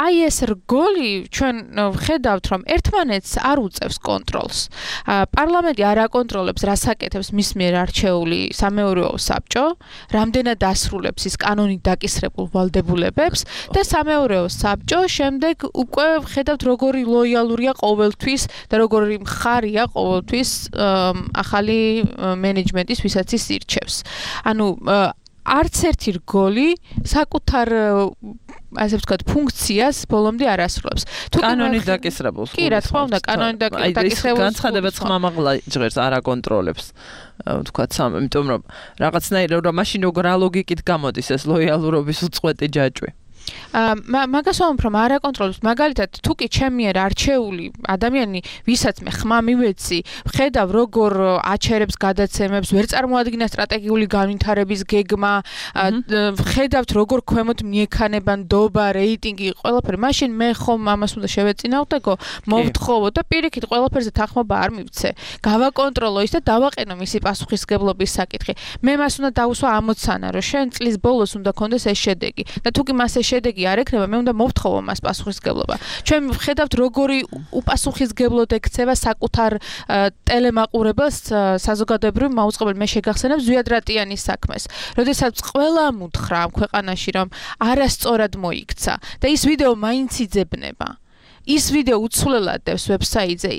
S7: აი ეს რგოლი ჩვენ ვხედავთ რომ ერთმანეთს არ უწევს კონტროლს. პარლამენტი არ აკონტროლებს რას აკეთებს მის მიერ არჩეული სამეურვეო საბჭო, რამდენად ასრულებს ის კანონით დაკისრებულ ვალდებულებებს და სამეურვეო საბჭო შემდეგ უკვე ვხედავთ როგორი ლოიალურია ყოველთვის და როგორი მხარია ყოველთვის ახალი მენეჯმენტის ვისაც ის ირჩევს. ანუ არც ერთი რგოლი საკუთარ ასე ვთქვათ ფუნქციას ბოლომდე არ ასრულებს.
S2: თუ კანონით დაკისრებულს.
S7: კი, რა თქმა უნდა, კანონით დაკისრებულს.
S2: განცხადება ხმამაღლა ჟღერს არ აკონტროლებს. ვთქვათ, იმიტომ რომ რაღაცნაირად რომ მაშინ როგორ რა ლოგიკით გამოდის ეს ლოიალურობის უწყვეტი ჯაჭვი.
S7: მაგას ვამბობ, რომ არ აკონტროლებს. მაგალითად, თუ კი ჩემი არ არჩეული ადამიანი, ვისაც მე ხმა მივეცი, ხედავ როგორ აჩერებს გადაცემებს, ვერ წარმოადგინა სტრატეგიული განვითარების გეგმა, ხედავთ როგორ ქვემოთ მიექანება ნდობა, რეიტინგი, ყველაფერი. მაშინ მე ხომ ამას უნდა შევეწინააღმდეგო, მოვთხოვო და პირიქით ყველაფერზე თანხმობა არ მივცე. გავაკონტროლო ის და დავაყენო მისი პასუხისგებლობის საკითხი. მე მას უნდა დავუსვა ამოცანა, რომ შენ წლის ბოლოს უნდა კონდეს ეს შედეგი. და თუ კი მას ეს შედეგი არ ექნება, მე უნდა მოვთხოვო მას პასუხისგებლობა. ჩვენ ვხედავთ როგორი უპასუხისგებლოდ ექცევა საკუთარ ტელემაყურებელს საზოგადოებრივ მაუწყებელ მე შეგახსენებ ზვიად რატიანის საქმეს. როდესაც ყველამ უთხრა ამ ქვეყანაში, რომ არასწორად მოიქცა და ის ვიდეო მაინც იძებნება. ის ვიდეო უცვლელად დევს ვებსაიტზე.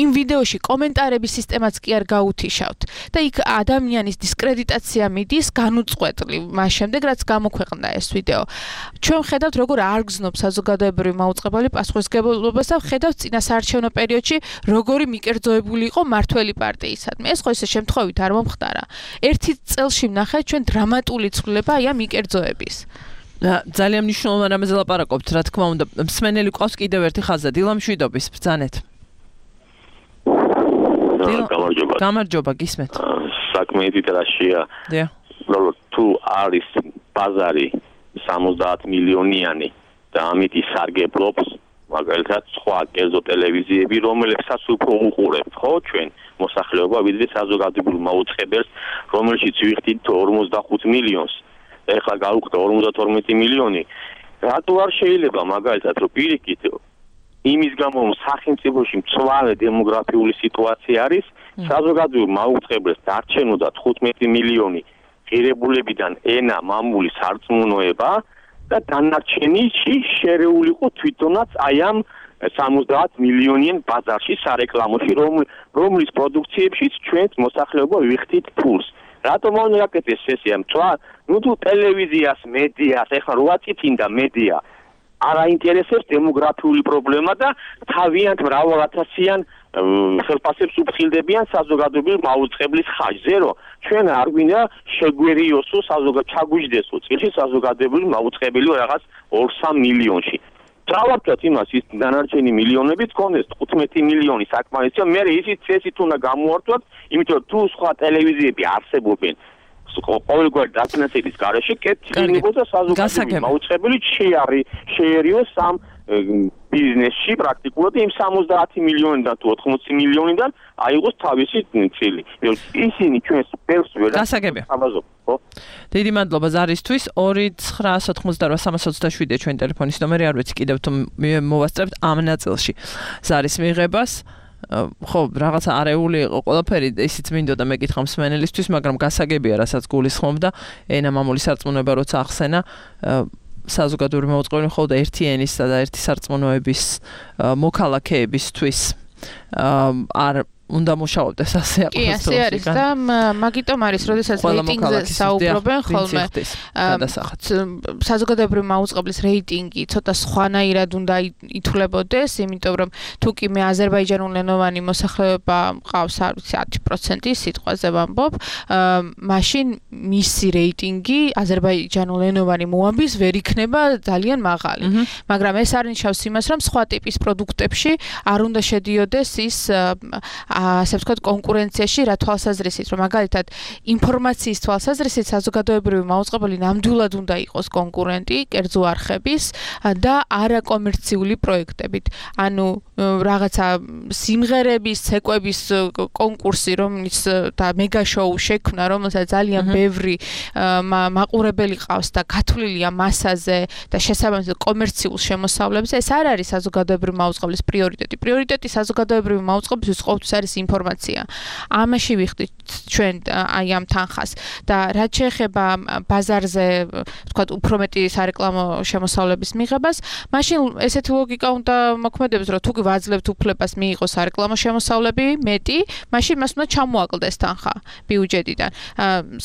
S7: იმ ვიდეოში კომენტარების სისტემაც კი არ გაუთიშავთ და იქ ადამიანის დისკრედიტაცია მიდის განუწყვეტლი მას შემდეგ რაც გამოქვეყნდა ეს ვიდეო. ჩვენ ხედავთ როგორ არ გზნობ საზოგადოებრივი მაუწყებელი პასუხისგებლობას და ხედავთ წინა საარჩევნო პერიოდში როგორი მიკერძოებული იყო მართველი პარტიისადმი. ეს ხო ისე შემთხვევით არ მომხდარა. ერთი წელში ვნახეთ ჩვენ დრამატული ცვლილება აი ამ მიკერძოების.
S2: ძალიან მნიშვნელოვანი რამეზე ლაპარაკობთ, რა თქმა უნდა. მსმენელი ყავს კიდევ ერთი ხაზა, დილა მშვიდობის, ბრძანეთ.
S9: გამარჯობა.
S2: გამარჯობა, გისმენთ.
S9: საქმე იტირაშია.
S2: დიახ.
S9: რომ თუ არის ბაზარი სამოცდაათ მილიონიანი და ამით ისარგებლობს, მაგალითად, სხვა კერძო ტელევიზიები, რომელებსაც უფრო უყურებთ, ხო, ჩვენ მოსახლეობა, ვიდრე საზოგადოებრივ მაუწყებელს, რომელშიც ვიხდით ორმოცდახუთ მილიონს. ეხლა გავუხდა ორმოცდათორმეტი მილიონი. რატო არ შეიძლება მაგალითად რომ პირიქით იმის გამო რომ სახელმწიფოში მწვავე დემოგრაფიული სიტუაცია არის, საზოგადოებრივ მაუწყებელს დარჩენოდა თხუთმეტი მილიონი ღირებულებიდან ენა, მამული, სარწმუნოება და დანარჩენიში შერეულიყო თვითონაც აი ამ სამოცდაათ მილიონიან ბაზარში სარეკლამოში, რომლის პროდუქციებშიც ჩვენს მოსახლეობა ვიხდით ფულს. რატომ მონაკეთეს სესია მწვა? ნუ თუ ტელევიზიას, მედიას, ეხლა რა წითინდა მედია არ აინტერესებს დემოგრაფიული პრობლემა და თავიანთ მრავალათასიან ხელფასებს უფრთხილდებიან საზოგადოებრივ მაუწყებლის ხაჟზე, რომ ჩვენ არ გვინდა შეგვერიოსო საზოგადო ჩაგვიждდესო წილში საზოგადოებრივ მაუწყებელი რაღაც ორ-სამ მილიონში. დავარქვათ იმას ის დანარჩენი მილიონებიც კონდეს თხუთმეტი მილიონი საკმარისია, მე ისიც წესით უნდა გამოვართვათ, იმიტომ რომ თუ სხვა ტელევიზიები არსებობენ ყოველგვარი დაფინანსების გარეშე კეთილდებოდა საზოგადოებრივი მაუწყებელი შეარი შეერიოს ამ ბიზნესში პრაქტიკულად იმ სამოცდაათი მილიონიდან თუ ოთხმოცი მილიონიდან აიღოს თავისი წილი. ისინი ჩვენს ბევრს ვერ
S2: გასაგებია. ხო? დიდი მადლობა ზარისთვის. ორი ცხრა ოთხმოცდაოთხ სამას ოცდაშვიდია ჩვენი ტელეფონის ნომერი, არ ვიცი კიდევ თუ მოვასწრებთ ამ ნაწილში ზარის მიღებას. ხო, რაღაცა არეული იყო ყველაფერი, ისიც მინდოდა მეკითხა მსმენელისთვის, მაგრამ გასაგებია, რასაც გულისხმობდა, ენა, მამული, სარწმუნოება როცა ახსენა, საზოგადოებრივი მაუწყებელი მხოლოდ ერთი ენისა და ერთი სარწმუნოების მოქალაქეებისთვის არ უნდა მუშაობდეს ასე
S7: აქვს. კი, ასე არის და მაგიტომ არის, როდესაც რეიტინგზე საუბრობენ ხოლმე, საზოგადოებრივი მაუწყებლის რეიტინგი ცოტა სხვანაირად უნდა ითვლებოდეს, იმიტომ რომ თუ კი მე აზერბაიჯანულენოვანი მოსახლეობა მყავს, არ ვიცი, ათი პროცენტი სიტყვაზე ვამბობ, მაშინ მისი რეიტინგი აზერბაიჯანულენოვანი მოამბის ვერ იქნება ძალიან მაღალი. მაგრამ ეს არ ნიშნავს იმას, რომ სხვა ტიპის პროდუქტებში არ უნდა შედიოდეს ის ასე ვთქვათ კონკურენციაში რა თვალსაზრისით, რომ მაგალითად ინფორმაციის თვალსაზრისით საზოგადოებრივი მაუწყებელი ნამდვილად უნდა იყოს კონკურენტი კერძო არხების და არაკომერციული პროექტებით. ანუ რაღაცა სიმღერების, ცეკვების კონკურსი, რომელიც და მეგა შოუ შექმნა, რომელსაც ძალიან ბევრი მაყურებელი ყავს და გათვლილია მასაზე და შესაბამისად კომერციულ შემოსავლებზე, ეს არ არის საზოგადოებრივი მაუწყებლის პრიორიტეტი. პრიორიტეტი საზოგადოებრივი მაუწყებლისთვის ყოველთვის არის ინფორმაცია. ამაში ვიხდით ჩვენ აი ამ თანხას და რაც შეეხება ბაზარზე, ვთქვათ, უფრო მეტი სარეკლამო შემოსავლების მიღებას, მაშინ ესეთი ლოგიკა უნდა მოქმედებს, რომ თუ ვაძლევთ უფლებას მიიღოს სარეკლამო შემოსავლები მეტი, მაშინ მას უნდა ჩამოაკლდეს თანხა ბიუჯეტიდან.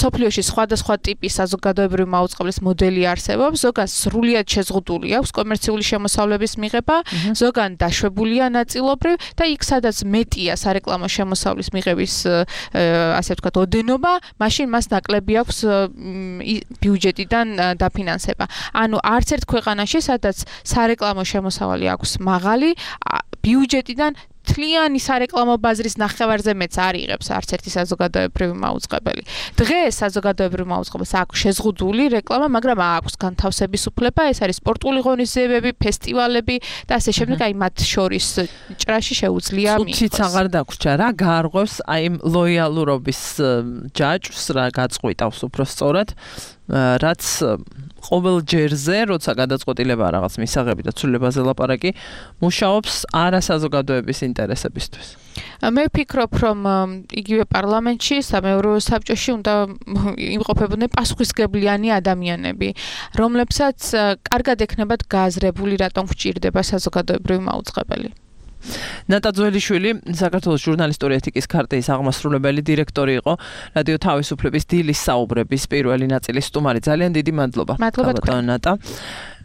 S7: სოფლიოში სხვადასხვა ტიპის საზოგადოებრივი მაუწყებლის მოდელი არსებობს, ზოგან სრულიად შეზღუდული აქვს კომერციული შემოსავლების მიღება, ზოგან დაშვებულია ნაწილობრივ და იქ სადაც მეტია სარეკლამო შემოსავლის მიღების ასე ვთქვათ ოდენობა, მაშინ მას ნაკლები აქვს ბიუჯეტიდან დაფინანსება. ანუ არც ერთ ქვეყანაში სადაც სარეკლამო შემოსავალი აქვს მაღალი, ბიუჯეტიდან თლიანი სარეკლამო ბაზრის ნახევარზე მეც არ იღებს არც ერთი საზოგადოებრივი მაუწყებელი. დღეს საზოგადოებრივი მაუწყებელს აქვს შეზღუდული რეკლამა, მაგრამ აქვს განთავსების უფლება, ეს არის სპორტული ღონისძიებები, ფესტივალები და ასე შემდეგ, აი მათ შორის ჭრაში შეუძლია მიიღოს.
S2: ცუციც აღარ დაგვრჩა რა, გაარღვევს აი იმ ლოიალურობის ჯაჭვს რა გაწყვიტავს უფრო სწორად, რაც ყოველ ჯერზე, როცა გადაწყვეტილება რაღაც მისაღები და ცვლილებაზე ლაპარაკი, მუშაობს არასაზოგადოების ინტერესებისთვის.
S7: მე ვფიქრობ, რომ იგივე პარლამენტში, სამეურვეო საბჭოში უნდა იმყოფებოდნენ პასუხისმგებლიანი ადამიანები, რომლებსაც კარგად ექნებათ გააზრებული, რატომ გვჭირდება საზოგადოებრივი მაუწყებელი.
S2: ნატა ძველიშვილი საქართველოს ჟურნალისტური ეთიკის ქარტიის აღმასრულებელი დირექტორი იყო, რადიო თავისუფლების დილის საუბრების პირველი ნაწილის სტუმარი. ძალიან დიდი მადლობა.
S7: მადლობა
S2: ნატა.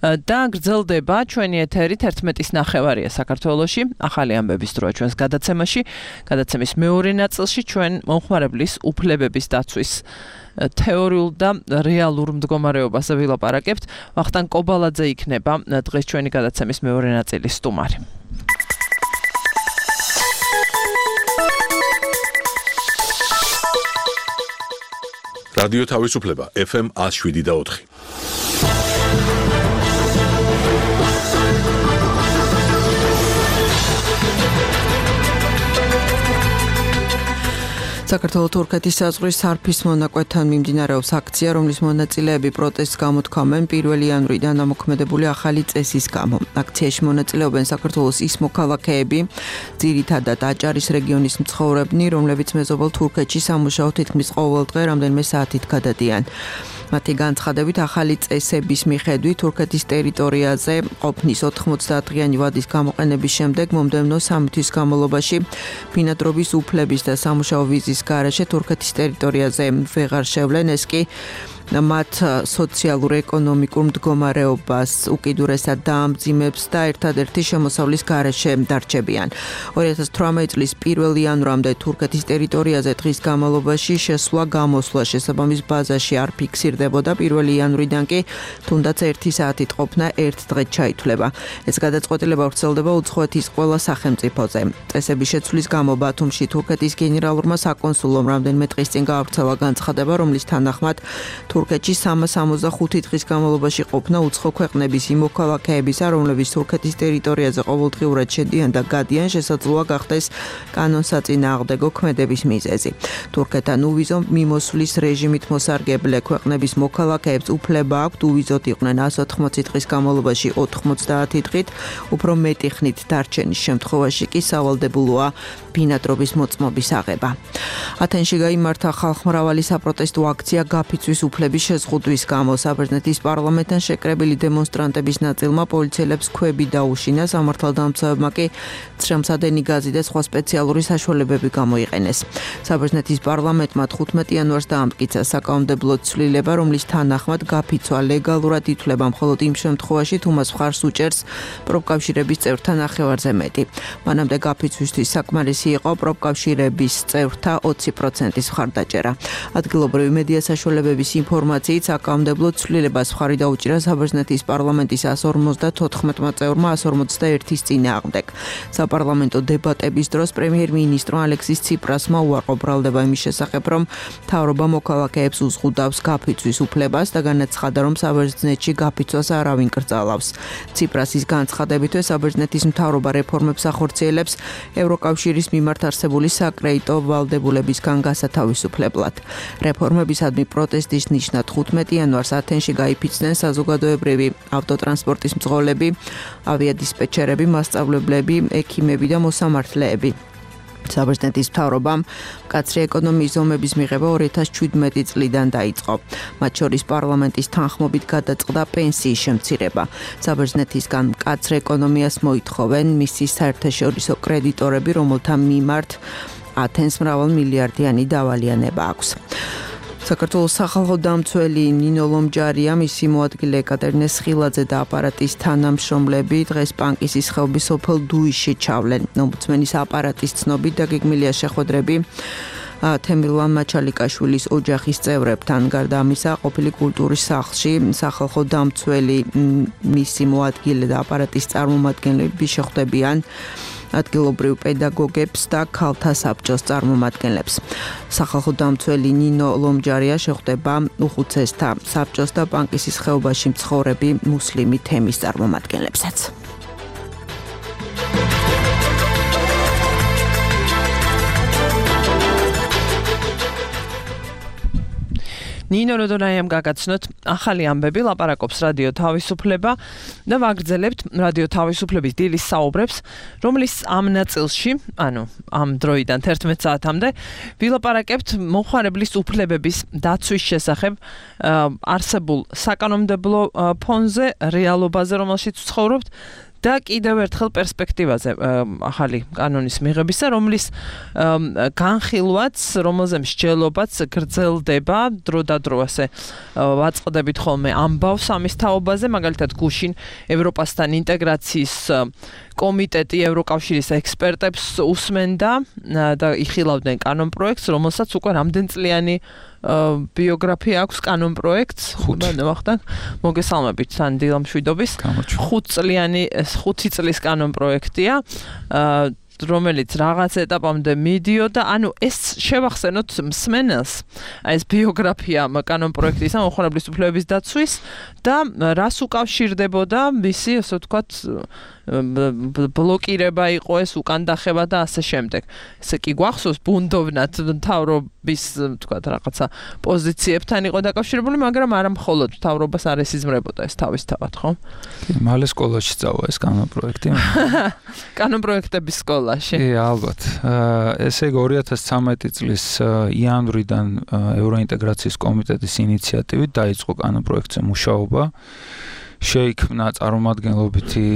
S2: და გრძელდება ჩვენი ეთერი თერთმეტის ნახევარია საქართველოში. ახალი ამბების დროა ჩვენს გადაცემაში. გადაცემის მეორე ნაწილში ჩვენ მომხმარებლის უფლებების დაცვის თეორიულ და რეალურ მდგომარეობაზე ვილაპარაკებთ. ვახტანგ კობალაძე იქნება დღეს ჩვენი გადაცემის მეორე ნაწილის სტუმარი.
S1: რადიო თავისუფლება ეფ ემ one oh seven და four.
S10: საქართველოს თურქეთის საზღვრის სარფის მონაკვეთთან მიმდინარეობს აქცია, რომლის მონაწილეები პროტესტს გამოთქვამენ პირველი იანვრიდან ამოქმედებული ახალი წესის გამო. აქციაში მონაწილეობენ საქართველოს ის მოქალაქეები, ძირითადად აჭარის რეგიონის მცხოვრებნი, რომლებიც მეზობელ თურქეთში სამუშაოდ თითქმის ყოველ დღე რამდენიმე საათით გადადიან. მათი განცხადებით ახალი წესების მიხედვით თურქეთის ტერიტორიაზე ყოფნის ოთხმოცდაათდღიანი ვადის გამოყენების შემდეგ მომდევნო სამი თვის განმავლობაში ბინადრობის უფლების და სამუშაო ვიზის გარეშე თურქეთის ტერიტორიაზე ვეღარ შევლენ, ეს კი მათ სოციალურ-ეკონომიკურ მდგომარეობას უკიდურესად დაამძიმებს და ერთადერთი შემოსავლის გარეშე დარჩებიან. ორი ათას თვრამეტი წლის პირველი იანვრამდე თურქეთის ტერიტორიაზე დღის განმავლობაში შესვლა-გამოსვლა შესაბამის ბაზაში არ ფიქსირდებოდა, პირველი იანვრიდან კი თუნდაც ერთი საათით ყოფნა ერთ დღედ ჩაითვლება. ეს გადაწყვეტილება ვრცელდება უცხოეთის ყველა სახელმწიფოზე. წესების შეცვლის გამო ბათუმში თურქეთის გენერალურმა საკონსულომ რამდენიმე დღის წინ გაავრცელა განცხადება, რომლის თანახმად თურქეთში სამას ორმოცდახუთი დღის განმავლობაში ყოფნა უცხო ქვეყნების იმ მოქალაქეებისა, რომლებიც თურქეთის ტერიტორიაზე ყოველდღიურად შედიან და გადიან, შესაძლოა გახდეს კანონსაწინააღმდეგო ქმედების მიზეზი. თურქეთთან უვიზო მიმოსვლის რეჟიმით მოსარგებლე ქვეყნების მოქალაქეებს უფლება აქვთ უვიზოთ იყვნენ one hundred eighty დღის განმავლობაში ოთხმოცდაათი დღით, უფრო მეტი ხნით დარჩენის შემთხვევაში კი სავალდებულოა ბინადრობის მოწმობის აღება. ათენში გაიმართა ხალხმრავალი საპროტესტო აქცია გაფიცვის უფლების შეზღუდვის გამო. საბერძნეთის პარლამენტთან შეკრებილი დემონსტრანტების ნაწილმა პოლიციელებს ქვები დაუშინა, სამართალდამცავებმა კი წრემსადენი გაზი და სხვა სპეციალური საშუალებები გამოიყენეს. საბერძნეთის პარლამენტმა თხუთმეტი იანვარს დაამტკიცა საკანონმდებლო ცვლილება, რომლის თანახმად გაფიცვა ლეგალურად ითვლება მხოლოდ იმ შემთხვევაში, თუ მას მხარს უჭერს პროფკავშირების წევრთა ნახევარზე მეტი. მანამდე გაფიცვისთვის საკმარისი იყო პროფკავშირების წევრთა ოცი პროცენტის მხარდაჭერა. ადგილობრივი მედია საშუალებების ინფორმაციით საკანონმდებლო ცვლილებას მხარი დაუჭირა საბერძნეთის პარლამენტის one hundred fifty-one წევრმა one hundred forty-one-ის წინააღმდეგ. საპარლამენტო დებატების დროს პრემიერ-მინისტრო ალექსის ციპრასმა უარყო ბრალდება იმის შესახებ, რომ მთავრობა მოქალაქეებს უზღუდავს გაფიცვის უფლებას და განაცხადა, რომ საბერძნეთში გაფიცვას არავინ კრძალავს. ციპრასის განცხადებითვე საბერძნეთის მთავრობა რეფორმებს ახორციელებს ევროკავშირის მიმართ არსებული საკრედიტო ვალდებულებისგან გასათავისუფლებლად. რეფორმებისადმი პროტესტის ნიშნად თხუთმეტი იანვარს ათენში გაიფიცნენ საზოგადოებრივი ავტოტრანსპორტის მძღოლები, ავიადისპეჩერები, მასწავლებლები, ექიმები და მოსამართლეები. საბერძნეთის მთავრობამ მკაცრი ეკონომიის ზომების მიღება ორი ათას შვიდმეტი წლიდან დაიწყო. მათ შორის პარლამენტის თანხმობით გადაწყდა პენსიის შემცირება. საბერძნეთისგან მკაცრ ეკონომიას მოითხოვენ მისი საერთაშორისო კრედიტორები, რომელთა მიმართ ათენს მრავალმილიარდიანი დავალიანება აქვს. საქართველოს სახალხო დამცველი ნინო ლომჯარია, მისი მოადგილე ეკატერინე სხილაძე და აპარატის თანამშრომლები დღეს პანკისის ხეობის სოფელ დუიშში ჩავლენ. ომბუდსმენის აპარატის ცნობით დაგეგმილია შეხვედრები თემირლან მაჩალიკაშვილის ოჯახის წევრებთან. გარდა ამისა, ყოფილი კულტურის სახლში სახალხო დამცველი, მისი მოადგილე და აპარატის წარმომადგენლები შეხვდებიან ადგილობრივ პედაგოგებს და ქალთა საბჭოს წარმომადგენლებს. სახალხო დამცველი ნინო ლომჯარია შეხვდება უხუცესთა საბჭოს და პანკისის ხეობაში მცხოვრები მუსლიმი თემის წარმომადგენლებსაც.
S2: ნინო როდონაიამ გაგაცნოთ ახალი ამბები, ლაპარაკობს რადიო თავისუფლება და ვაგრძელებთ რადიო თავისუფლების დილის საუბრებს, რომლის ამ ნაწილში, ანუ ამ დროიდან თერთმეტ საათამდე ვილაპარაკებთ მომხმარებლის უფლებების დაცვის შესახებ არსებულ საკანონმდებლო ფონზე, რეალობაზე, რომელშიც ვცხოვრობთ. და კიდევ ერთხელ პერსპექტივაზე ახალი კანონის მიღებისა, რომლის განხილვაც, რომელზე მსჯელობაც გრძელდება დრო და დრო ასე ვაწყდებით ხოლმე ამბავს ამის თაობაზე, მაგალითად გუშინ ევროპასთან ინტეგრაციის კომიტეტი ევროკავშირის ექსპერტებს უსმენდა და იხილავდნენ კანონპროექტს, რომელსაც უკვე რამდენწლიანი ბიოგრაფია აქვს კანონპროექტს, ხუთ მოგესალმებით სანდილა მშვიდობის ხუთწლიანი ხუთი წლის კანონპროექტია, რომელიც რაღაც ეტაპამდე მიდიოდა, ანუ ეს შევახსენოთ მსმენელს, ეს ბიოგრაფია კანონპროექტის მომხმარებლის უფლებების დაცვის და რას უკავშირდებოდა მისი, ასე ვთქვათ, ბლოკირება იყო ეს, უკან დახევა და ასე შემდეგ. ესე კი გვახსოვს ბუნდოვნად მთავრობის, ვთქვათ, რაღაცა პოზიციებთან იყო დაკავშირებული, მაგრამ არა მხოლოდ მთავრობას არ ესიზმრებოდა ეს თავისთავად, ხო?
S11: მალე სკოლაში წავა ეს კანონპროექტი.
S2: კანონპროექტების სკოლაში.
S11: კი, ალბათ. ესე იგი ორი ათას ცხრამეტი წლის იანვრიდან ევროინტეგრაციის კომიტეტის ინიციატივით დაიწყო კანონპროექტზე მუშაობა. შეიქმნა წარმომადგენლობითი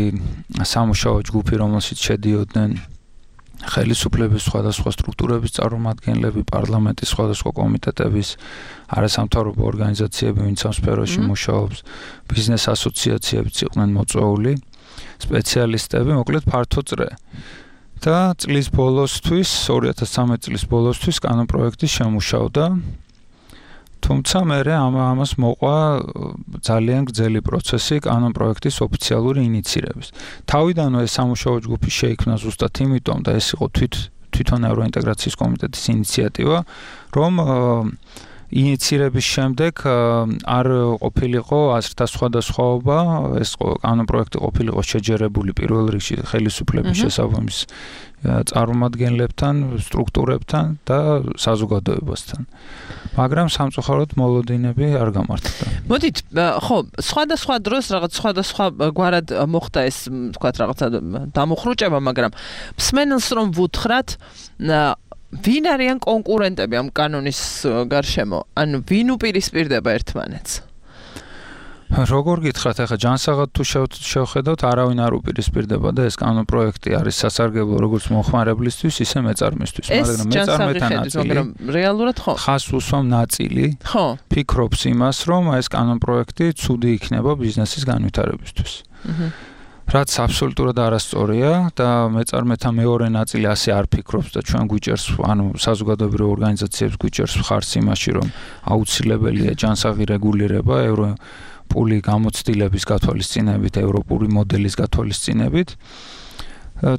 S11: სამუშაო ჯგუფი, რომელშიც შედიოდნენ ხელისუფლების სხვადასხვა სტრუქტურების წარმომადგენლები, პარლამენტის სხვადასხვა კომიტეტების, არასამთავრობო ორგანიზაციები, ვინც ამ სფეროში მუშაობს, ბიზნეს ასოციაციებიც იყვნენ მოწვეული, სპეციალისტები, მოკლედ ფართო წრე. და წლის ბოლოსთვის, ორი ათას ცხრამეტი წლის ბოლოსთვის კანონპროექტი შემუშავდა. თუმცა მერე ამ ამას მოყვა ძალიან გრძელი პროცესი კანონპროექტის ოფიციალური ინიცირების. თავიდანვე ეს სამუშაო ჯგუფი შეიქმნა ზუსტად იმიტომ და ეს იყო თვით თვითონ ევროინტეგრაციის კომიტეტის ინიციატივა, რომ ინიცირების შემდეგ არ ყოფილიყო აზრთა სხვადასხვაობა, ეს კანონპროექტი ყოფილიყო შეჯერებული პირველ რიგში ხელისუფლების შესაბამის წარმომადგენლებთან, სტრუქტურებთან და საზოგადოებასთან. მაგრამ სამწუხაროდ მოლოდინები არ გამართლდა.
S2: მოდით, ხო, სხვადასხვა დროს რაღაც სხვადასხვა გვარად მოხდა ეს, ვთქვათ, რაღაცა დამუხრუჭება, მაგრამ მსმენელს რომ ვუთხრათ, ვინ არიან კონკურენტები ამ კანონის გარშემო? ანუ ვინ უპირისპირდება ერთმანეთს?
S11: როგორ გითხრათ, ახლა ჯანსაღად თუ შევხედოთ, არავინ არ უპირისპირდება და ეს კანონპროექტი არის სასარგებლო როგორც მომხმარებლისთვის, ისე მეწარმისთვის, მაგრამ მეწარმეთან ნაწილი,
S2: მაგრამ რეალურად ხო?
S11: ხას უსვამ ნაწილი.
S2: ხო.
S11: ფიქრობს იმას, რომ ეს კანონპროექტი ცუდი იქნება ბიზნესის განვითარებისთვის. აჰა. რაც აბსოლუტურად არასწორია და მეწარმეთა მეორე ნაწილი ასე არ ფიქრობს და ჩვენ გვიჭერს, ანუ საზოგადოებრივ ორგანიზაციებს გვიჭერს მხარს იმაში, რომ აუცილებელია ჯანსაღი რეგულირება ევრო პული გამოცდილების გათვალისწინებით, ევროპული მოდელის გათვალისწინებით.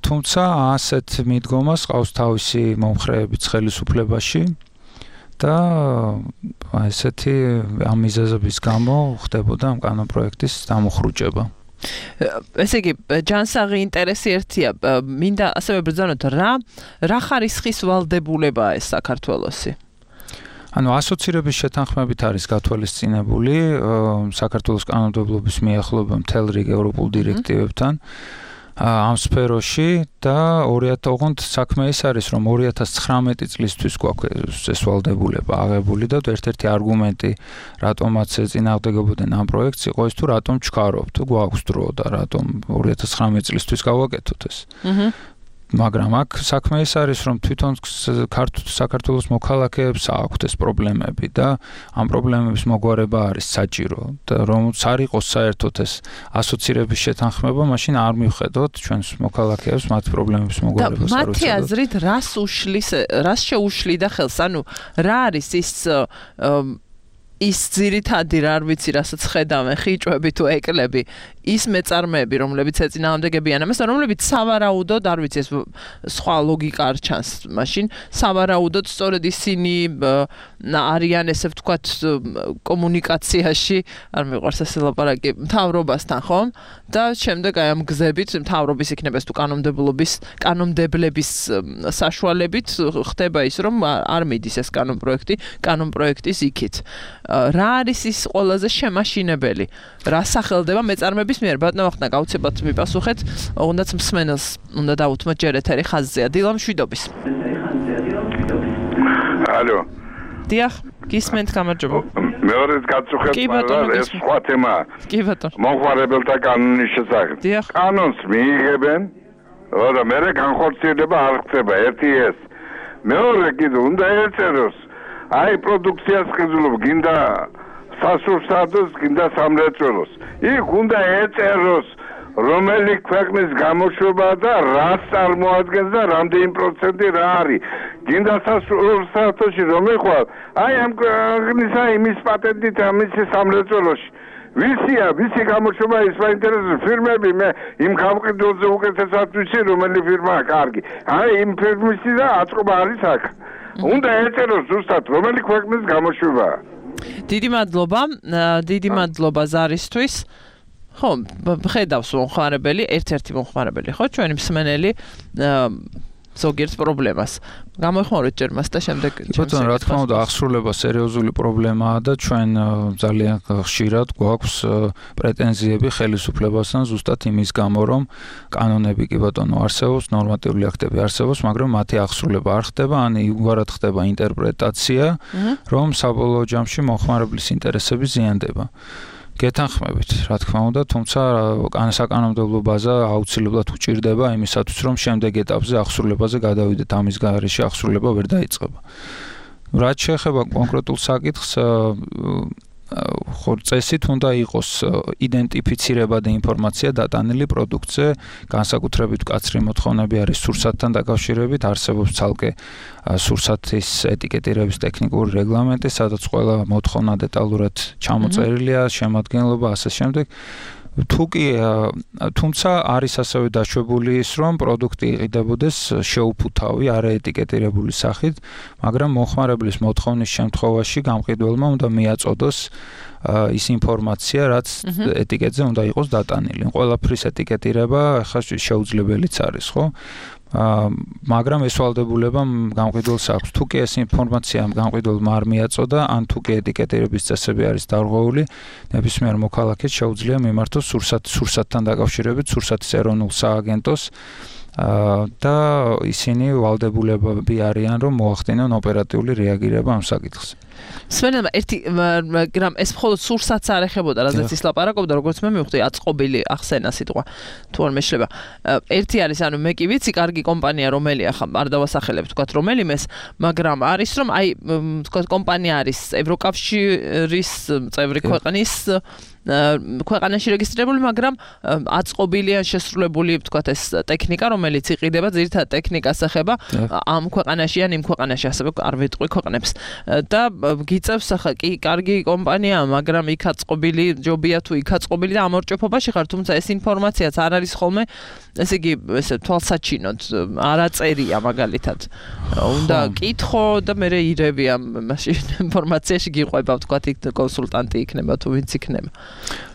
S11: თუმცა ასეთ მიდგომას ყავს თავისი მომხრეებიც ხელისუფლებაში და ესეთი ამ მიზეზების გამო ხდებოდა ამ კანონპროექტის დამუხრუჭება.
S2: ესე იგი, ჯანსაღი ინტერესი ერთია, მინდა ასევე ბრძანოთ, რა რა ხარისხის ვალდებულებაა ეს საქართველოსი?
S11: ანუ ასოცირების შეთანხმებით არის გათვალისწინებული საქართველოს კანონმდებლობის მიახლოება მთელ რიგ ევროპულ დირექტივებთან. ამ სფეროში და ოღონდ საქმე ის არის, რომ ორი ათას ცხრამეტი წლისთვის გვაქვს ეს ვალდებულება აღებული და ერთ-ერთი არგუმენტი, რატომაც ეწინააღმდეგებოდნენ ამ პროექტს, იყო ის თუ რატომ ჩქარობთ, გვაქვს დრო და რატომ ორი ათას ცხრამეტი წლისთვის გავაკეთოთ ეს. აჰა. მაგრამ აქ საქმე ის არის, რომ თვითონ საქართველოს მოქალაქეებს აქვთ ეს პრობლემები და ამ პრობლემების მოგვარება არის საჭირო და რომც არ იყოს საერთოდ ეს ასოცირების შეთანხმება, მაშინ არ მივხედოთ ჩვენს მოქალაქეებს მათ პრობლემების მოგვარებას არ
S2: უწევთ. და მათი აზრით რას უშლის, რას შეუშლიდა ხელს? ანუ რა არის ის ის ძირითადი რა არ ვიცი, რასაც ხედავენ ხიჭვები თუ ეკლები, ის მეწარმეები, რომლებიც ეწინააღმდეგებიან ამას, რომლებიც სავარაუდოდ, არ ვიცი, ეს სხვა ლოგიკა არ ჩანს, მაშინ სავარაუდოდ სწორედ ისინი არიან, ესე ვთქვათ, კომუნიკაციაში, არ მიყვარს ეს ლაპარაკი, მთავრობასთან, ხო? და შემდეგ აი ამ გზებით, მთავრობის იქნება თუ კანონმდებლობის, კანონმდებლების საშუალებით ხდება ის, რომ არ მიდის ეს კანონპროექტი, კანონპროექტის იქით. რა არის ის ყველაზე შემაშინებელი? რა სახელდება მეწარმეების მიერ? ბატონო ვახტანგ, გაუცებად მიპასუხეთ, უნდაც მსმენელს უნდა დაუთმოთ ჯერ ეთერი ხაზზეა. დილა მშვიდობის.
S8: ალო.
S2: დიახ, გისმენთ, გამარჯობა.
S8: მეორედ გაწუხეთ, მაგრამ ეს სხვა თემაა.
S2: კი ბატონო.
S8: მომხმარებელთა კანონის შესახებ. კანონს მიიღებენ, და მე განხორციელება არ ხდება, ერთი ეს. მეორე კიდე უნდა ეწეროს აი პროდუქციას ხიზულობ გინდა სასურსათოს გინდა სამრეწველოს იქ უნდა ეწეროს რომელი ქვეყნის გამოშვება და რას წარმოადგენს და რამდენი პროცენტი რა არის გინდა სასურსათოში რომ ეხვალ აი ამ ქვეყნისა იმის პატენტით ამის სამრეწველოში ვისია ვისი გამოშვება ის საინტერესო ფირმები მე იმ გამყიდველზე უკეთესად ვიცი რომელი ფირმაა კარგი აი იმ ფირმისი და აწყობა არის აქ უნდა ეწეროს ზუსტად რომელი ქვეყნის გამოშვებაა.
S2: დიდი მადლობა, დიდი მადლობა ზარისთვის. ხო, ხედავს მომხმარებელი, ერთ-ერთი მომხმარებელი, ხო, ჩვენი მსმენელი ზოგიერთ პრობლემას. გამოიხმაროთ ჯერ მას და შემდეგ
S11: ბატონო, რა თქმა უნდა, აღსრულება სერიოზული პრობლემაა და ჩვენ ძალიან ხშირად გვაქვს პრეტენზიები ხელისუფლებასთან ზუსტად იმის გამო, რომ კანონები კი ბატონო არსებობს, ნორმატიული აქტები არსებობს, მაგრამ მათი აღსრულება არ ხდება, ან იგივარად ხდება ინტერპრეტაცია, რომ საბოლოო ჯამში მომხმარებლის ინტერესები ზიანდება. გეთანხმებით, რა თქმა უნდა, თუმცა საკანონმდებლო ბაზა აუცილებლად უჭირდება იმისათვის, რომ შემდეგ ეტაპზე აღსრულებაზე გადავიდეთ, ამის გარეშე აღსრულება ვერ დაიწყება. რაც შეეხება კონკრეტულ საკითხს, ხო წესით უნდა იყოს იდენტიფიცირება და ინფორმაცია დატანილი პროდუქტზე, განსაკუთრებით მკაცრი მოთხოვნები არის სურსათთან დაკავშირებით, არსებობს ცალკე სურსათის ეტიკეტირების ტექნიკური რეგლამენტი, სადაც ყველა მოთხოვნა დეტალურად ჩამოწერილია, შემადგენლობა, ასე შემდეგ. თუკი თუმცა არის ასევე დაშვებული ის, რომ პროდუქტი იყიდებოდეს შეუფუთავი, არაეტიკეტირებული სახით, მაგრამ მომხმარებლის მოთხოვნის შემთხვევაში გამყიდველმა უნდა მიაწოდოს ის ინფორმაცია, რაც ეტიკეტზე უნდა იყოს დატანილი. ყველაფრის ეტიკეტირება ხა შეუძლებელიც არის, ხო? მაგრამ ეს ვალდებულება გამყიდველს აქვს. თუკი ეს ინფორმაცია გამყიდველმა არ მიაწოდა, ან თუკი ეტიკეტირების წესები არის დარღვეული, ნებისმიერ მოქალაქეს შეუძლია მიმართოს სურსათ სურსათთან დაკავშირებით სურსათის ეროვნულ სააგენტოს და ისინი ვალდებულებები არიან, რომ მოახდინონ ოპერატიული რეაგირება ამ საკითხზე.
S2: სვენელმა ერთი მაგრამ ეს მხოლოდ სურსათს არ ეხებოდა, რადგან ის ლაპარაკობდა, როგორც მე მივხვდი, აწყობილი ახსენა სიტყვა. თუ არ მეშლება. ერთი არის, ანუ მე კი ვიცი, კარგი კომპანია რომელია, ხა არ დავასახელებ, თქვათ რომელიმეს, მაგრამ არის რომ აი, თქვათ კომპანია არის ევროკავშირის წევრი ქვეყნის ქვეყანაში რეგისტრირებული, მაგრამ აწყობილი ან შესრულებული, თქვათ ეს ტექნიკა, რომელიც იყიდება, ძირითადად ტექნიკას ეხება ამ ქვეყანაში ან იმ ქვეყანაში, ასევე არ ვიტყვი ქვეყნებს. და გიწევს ახლა კი კარგი კომპანია, მაგრამ იქ აწყობილი ჯობია თუ იქ აწყობილი და ამორჭეფობაში ხარ, თუმცა ეს ინფორმაციაც არ არის ხოლმე, ესე იგი, ესე თვალსაჩინოდ არაწერია მაგალითად. უნდა კითხო და მე ირევი ამ მაშინ ინფორმაციაში გიყვება, თქვათ იქ კონსულტანტი იქნება თუ ვინც იქნება.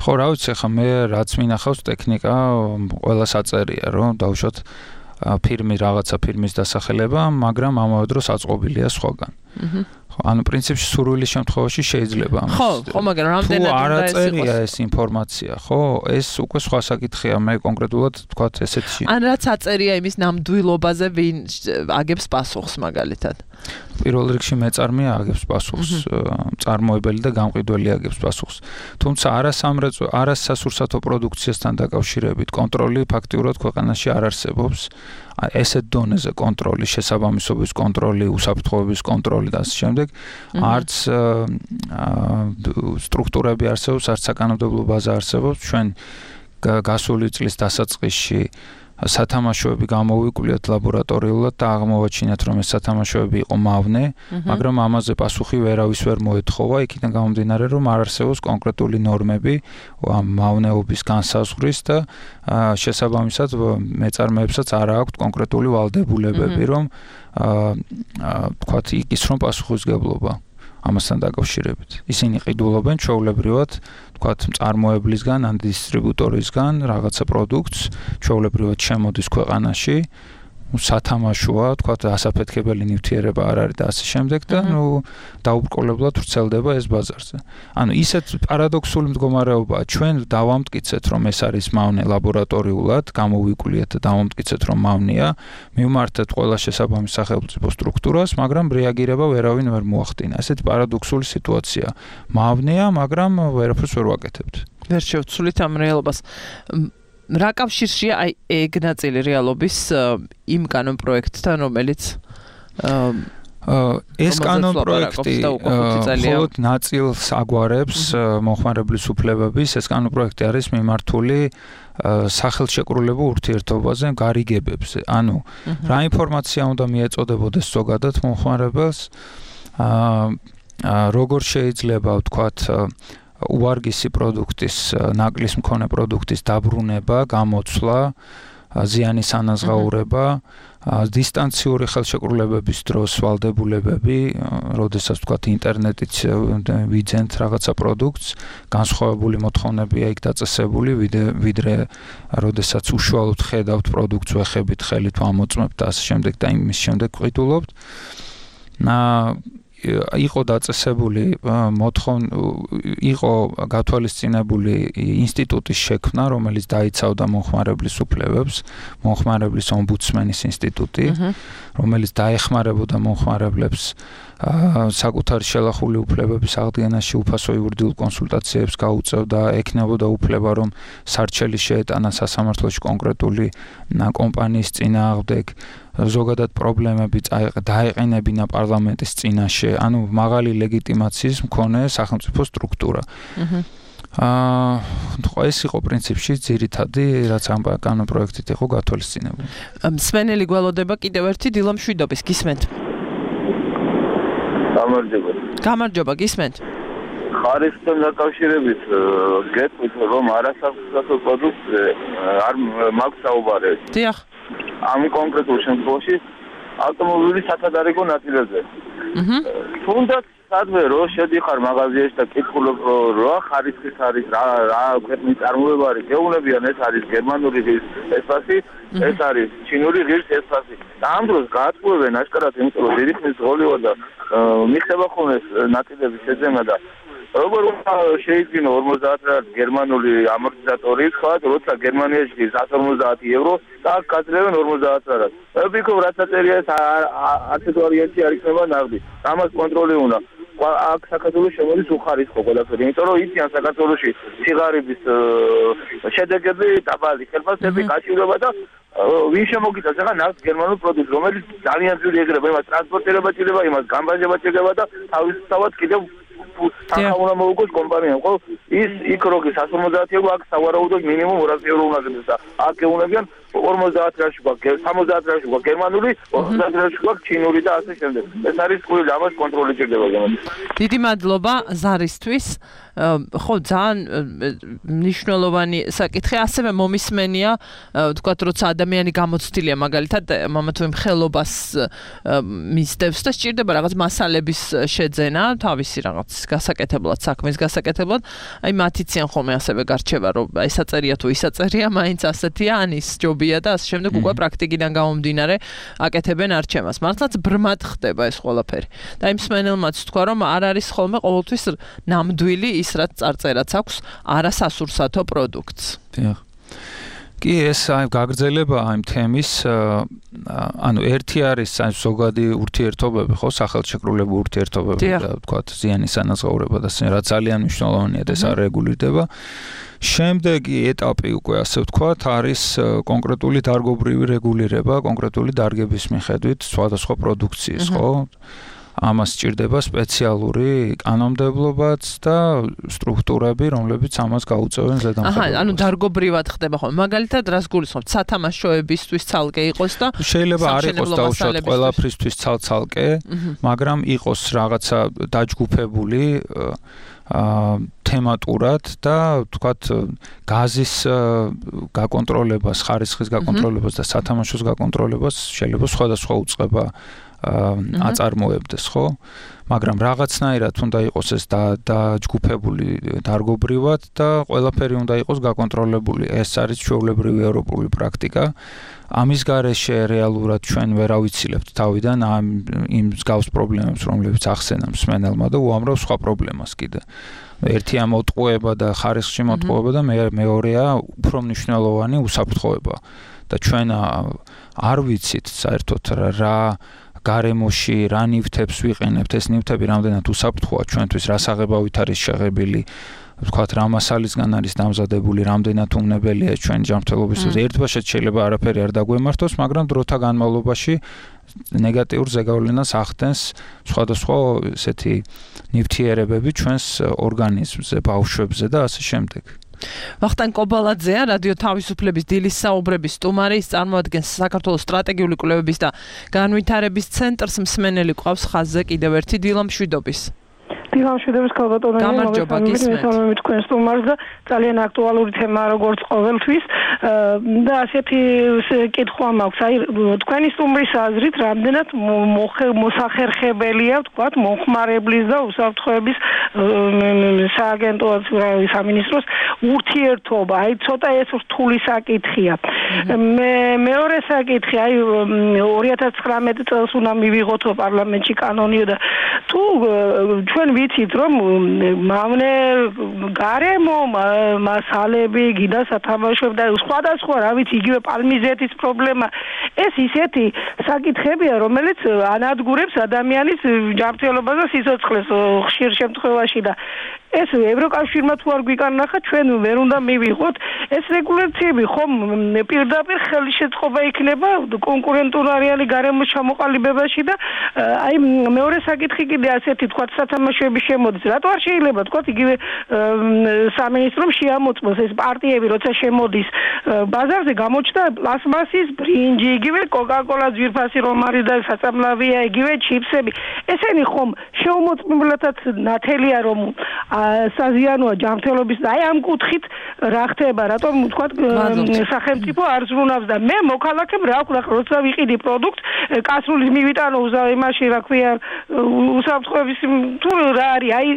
S11: ხო, რა ვიცი, ხა მე რაც მინახავს ტექნიკა, ყველას აწერია, რომ დავუშვათ ფირმი რაღაცა ფირმის დასახელება, მაგრამ ამავე დროს აწყობილია სხვაგან. ანუ პრინციპში სურვილის შემთხვევაში შეიძლება ამას.
S2: ხო, ხო, მაგრამ რამდენად
S11: უნდა ეს იყოს? თუ არ აწერია ეს ინფორმაცია, ხო, ეს უკვე სხვა საკითხია, მე კონკრეტულად თქვა ესეთი.
S2: ან რაც აწერია იმის ნამდვილობაზე ვინ აგებს პასუხს მაგალითად.
S11: პირველ რიგში მეწარმეა აგებს პასუხს, მწარმოებელი და გამყიდველი აგებს პასუხს. თუმცა არასამრეწო, არასასურსათო პროდუქციასთან დაკავშირებით კონტროლი ფაქტიურად ქვეყანაში არ არსებობს. ესეთ დონეზე კონტროლი, შესაბამისობის კონტროლი, უსაფრთხოების კონტროლი და ასე შემდეგ, არც სტრუქტურები არსებობს, არც საკანონმდებლო ბაზა არსებობს. ჩვენ გასული წლის დასაწყისში სათამაშოები გამოვიკვლიათ ლაბორატორიულად და აღმოვაჩინეთ, რომ ეს სათამაშოები იყო მავნე, მაგრამ ამაზე პასუხი ვერავის ვერ მოეთხოვა, იქიდან გამომდინარე, რომ არ არსებობს კონკრეტული ნორმები ამ მავნეობის განსაზღვრის და შესაბამისად მეწარმეებსაც არ აქვთ კონკრეტული ვალდებულებები, რომ თქვათ იკისრონ პასუხისმგებლობა ამასთან დაკავშირებით. ისინი ყიდულობენ ჩვეულებრივად თქვათ მწარმოებლისგან ან დისტრიბუტორისგან რაღაცა პროდუქტს, ჩვეულებრივად შემოდის ქვეყანაში, სათამაშოა, თქვათ ასაფეთქებელი ნივთიერება არ არის და ასე შემდეგ და ნუ დაუბრკოლებლად ვრცელდება ეს ბაზარზე. ანუ ისეთ პარადოქსული მდგომარეობაა, ჩვენ დავამტკიცეთ, რომ ეს არის მავნე ლაბორატორიულად, გამოვიკვლიეთ და დავამტკიცეთ, რომ მავნეა, მივმართეთ ყველა შესაბამის სახელმწიფო სტრუქტურას, მაგრამ რეაგირება ვერავინ ვერ მოახდინა. ესეთი პარადოქსული სიტუაცია. მავნეა, მაგრამ ვერაფერს ვერ ვაკეთებთ.
S2: ვერ შევცვლით ამ რეალობას. რა კავშირშია აი ეგ ნაწილი რეალობის იმ კანონ პროექტთან, რომელიც
S11: ეს კანონ პროექტი მხოლოდ ნაწილს აგვარებს მომხმარებლის უფლებების, ეს კანონ პროექტი არის მიმართული სახელშეკრულებულ ურთიერთობაზე, გარიგებებზე. ანუ რა ინფორმაცია უნდა მიეწოდებოდეს ზოგადად მომხმარებელს, როგორ შეიძლება ვთქვათ უარგისი პროდუქტის, ნაკლის მქონე პროდუქტის დაბრუნება, გამოცვლა, ზიანის ანაზღაურება, დისტანციური ხელშეკრულებების დროს ვალდებულებები, როდესაც ვთქვათ ინტერნეტით ვიძენთ რაღაცა პროდუქტს, განსხვავებული მოთხოვნებია იქ დაწესებული, ვიდრე როდესაც უშუალოდ ხედავთ პროდუქტს, ვეხებით ხელით ვამოწმებთ და ასე შემდეგ და იმის შემდეგ ვყიდულობთ. იყო დაწესებული მოთხოვნ იყო გათვალისწინებული ინსტიტუტის შექმნა, რომელიც დაიცავდა მომხმარებლის უფლებებს, მომხმარებლის ომბუდსმენის ინსტიტუტი, რომელიც დაეხმარებოდა მომხმარებლებს საკუთარი შელახული უფლებების აღდგენაში უფასო იურიდიულ კონსულტაციებს გაუწევდა, ექნებოდა უფლება, რომ სარჩელი შეეტანა სასამართლოში კონკრეტული კომპანიის წინააღმდეგ, ზოგადად პრობლემები დაეყენებინა პარლამენტის წინაშე, ანუ მაღალი ლეგიტიმაციის მქონე სახელმწიფო სტრუქტურა. აა ეს იყო პრინციპში ძირითადი, რაც ამ კანონ პროექტით იყო გათვალისწინებული.
S2: მსმენელი გველოდება კიდევ ერთი დილა მშვიდობის, გისმენთ?
S12: გამარჯობა.
S2: გამარჯობა, გისმენთ?
S12: ხარისხთან დაკავშირებით გეტყვით, რომ არასასურსათო პროდუქტზე არ მაქვს საუბარი.
S2: დიახ.
S12: ამ კონკრეტულ შემთხვევაში ავტომობილის სათადარიგო ნაწილებზე.
S2: აჰა.
S12: თუნდაც სადმე რო შედიხარ მაღაზიაში და კითხულობ რა ხარისხის არის, რა რა ქვეყნის წარმოება არის, გეუბნებიან ეს არის გერმანული ღირს ესპასი, ეს არის ჩინური ღირს ესპასი. და ამ დროს გაატყუებენ აშკარად, იმიტომ რომ დიდი ხნის ღოლივა და მიხდება ხოლმე ნაწილების შეძენა და როგორ უნდა შეიძინო ორმოცდაათ გერმანული ამორტიზატორი, თქვა, როცა გერმანიაში სამას ორმოცდაათი ევრო და აქ გაძლევენ ორმოცდაათ რად. მე ვფიქრობ, რაც აწერია ეს არცეთ ვარიანტი არ იქნება ნაღდი. ამას კონტროლი უნდა. აქ საქართველოს შემოდის უხარისხო ყველაფერი, იმიტომ რომ იციან საქართველოში სიგარების შედეგები, დაბალი ხელფასები, გაჭირვება და ვინ შემოგიტანს ახლა ნავთს გერმანულ პროდუქტს, რომელიც ძალიან ძვირი ეგრება, იმას ტრანსპორტირება ჭირდება, იმას გამბაჟება ჭირდება და თავისთავად კიდევ თანხა მოუგოს კომპანიამ, ხო? ის იქ როგი სამას ორმოცდაათი ევრო, აქ სავარაუდოდ მინიმუმ ორასი ევრო უნდა გდეს და აქ ეუბნებიან ორმოცდაათ რაში გვაქვს, სამოცდაათ რაში გვაქვს გერმანული, ოცდაათ რაში გვაქვს ჩინური და ასე შემდეგ. ეს არის ყური, ამას კონტროლი ჭირდება გამო.
S2: დიდი მადლობა ზარისთვის. ხო, ძალიან მნიშვნელოვანი საკითხი, ასევე მომისმენია, თქვათ, როცა ადამიანი გამოცდილია, მაგალითად, მამა თუ იმ ხელობას მისდევს და სჭირდება რაღაც მასალების შეძენა, თავისი რაღაც გასაკეთებლად, საქმის გასაკეთებლად, აი მათ იციან ხოლმე ასევე გარჩევა, რომ ეს აწერია თუ ის აწერია, მაინც ასეთია, ან ის ჯობია თეორია და ასე შემდეგ უკვე პრაქტიკიდან გამომდინარე აკეთებენ არჩევას. მართლაც ბრმად ხდება ეს ყველაფერი. და იმ მსმენელმაც თქვა, რომ არ არის ხოლმე ყოველთვის ნამდვილი ის რაც წარწერაც აქვს არასასურსათო პროდუქტს.
S11: დიახ. კი ეს აი გაგრძელება ამ თემის ანუ ერთი არის აი ზოგადი ურთიერთობები ხო სახელმწიფოებრივი ურთიერთობები და თქვა ზიანის ანაზღაურება და რა ძალიან მნიშვნელოვანია და ეს არ რეგულირდება. შემდეგი ეტაპი უკვე ასე ვთქვათ არის კონკრეტული დარგობრივი რეგულირება კონკრეტული დარგების მიხედვით სხვადასხვა პროდუქციის ხო ამას სჭირდება სპეციალური კანონმდებლობაც და სტრუქტურები, რომლებიც ამას გაუწევენ ზედამხედველობას.
S2: აჰა, ანუ დარგობრივად ხდება ხოლმე. მაგალითად, რას გულისხმობთ? სათამაშოებისთვის ცალკე იყოს და
S11: შეიძლება არ იყოს დაუშვათ ყველაფრისთვის ცალ-ცალკე, მაგრამ იყოს რაღაცა დაჯგუფებული აა თემატურად და თქვათ გაზის გაკონტროლებას, ხარისხის გაკონტროლებას და სათამაშოს გაკონტროლებას შეიძლება სხვადასხვა უწყება აწარმოებდეს, ხო? მაგრამ რაღაცნაირად უნდა იყოს ეს დაჯგუფებული დარგობრივად და ყველაფერი უნდა იყოს გაკონტროლებული. ეს არის ჩვეულებრივი ევროპული პრაქტიკა. ამის გარეშე რეალურად ჩვენ ვერ ავიცილებთ თავიდან ამ იმ მსგავს პრობლემებს, რომლებიც ახსენა მსმენელმა და უამრავ სხვა პრობლემას კიდე. ერთია მოტყუება და ხარისხში მოტყუება და მეორეა უფრო მნიშვნელოვანი უსაფრთხოება. და ჩვენ არ ვიცით საერთოდ რა გარემოში რა ნივთებს ვიყენებთ, ეს ნივთები რამდენად უსაფრთხოა ჩვენთვის, რა საღებავით არის შეღებილი, ვთქვათ, რა მასალისგან არის დამზადებული, რამდენად უნებელია ჩვენ ჯანმრთელობისთვის. ერთბაშად შეიძლება არაფერი არ დაგვემართოს, მაგრამ დროთა განმავლობაში ნეგატიურ ზეგავლენას ახდენს სხვადასხვა ესეთი ნივთიერებები ჩვენს ორგანიზმზე, ბავშვებზე და ასე შემდეგ.
S2: ვახტანგ კობალაძეა, რადიო თავისუფლების დილის საუბრების სტუმარი, ის წარმოადგენს საქართველოს სტრატეგიული კვლევების და განვითარების ცენტრს. მსმენელი ყავს ხაზზე კიდევ ერთი დილა მშვიდობის.
S13: დილა მშვიდობის ქალბატონო,
S2: გამარჯობა, გისმენთ.
S13: მე თქვენ სტუმარს და ძალიან აქტუალური თემა როგორც ყოველთვის და ასეთი კითხვა მაქვს. აი თქვენი სტუმრის აზრით, რამდენად მოსახერხებელია, ვთქვათ, მომხმარებლის და უსაფრთხოების სააგენტოს სამინისტროს ურთიერთობა. აი ცოტა ეს რთული საკითხია. მე მეორე საკითხი, აი ორი ათას ცხრამეტი წელს უნდა მივიღოთ პარლამენტში კანონი და თუ ჩვენ ვიცით რომ მავნე გარემო მასალები გიდა სათამაშოები და სხვადასხვა რა ვიცი იგივე პალმიზეთის პრობლემა ეს ისეთი საკითხებია რომელიც ანადგურებს ადამიანის ჯანმრთელობას და სიცოცხლეს ხშირ შემთხვევაში და ეს ევროკავშირმა თუ არ გვიკარნახა ჩვენ ვერ უნდა მივიღოთ ეს რეგულაციები ხომ პირდაპირ ხელშეწყობა იქნება კონკურენტუნარიანი გარემოს ჩამოყალიბებაში და აი მეორე საკითხი კიდე ასეთი თქვა სათამაშოების შემოდის რატო არ შეიძლება თქვა იგივე სამინისტრომ შეამოწმოს ეს პარტიები როცა შემოდის ბაზარზე გამოჩნდა პლასმასის ბრინჯი იგივე კოკა-კოლა ძვირფასი რომ არის და საწამლავია იგივე ჩიფსები ესენი ხომ შეუმოწმებლადაც ნათელია რომ საზიანოა ჯანმრთელობის და აი ამ კუთხით რა ხდება რატომ თქვა სახელმწიფო არ ზრუნავს და მე მოქალაქემ რა ვქნა როცა ვიყიდი პროდუქტ კასრულის მივიტანო იმაში რა ქვია უსაფრთხოების თუ რა არის აი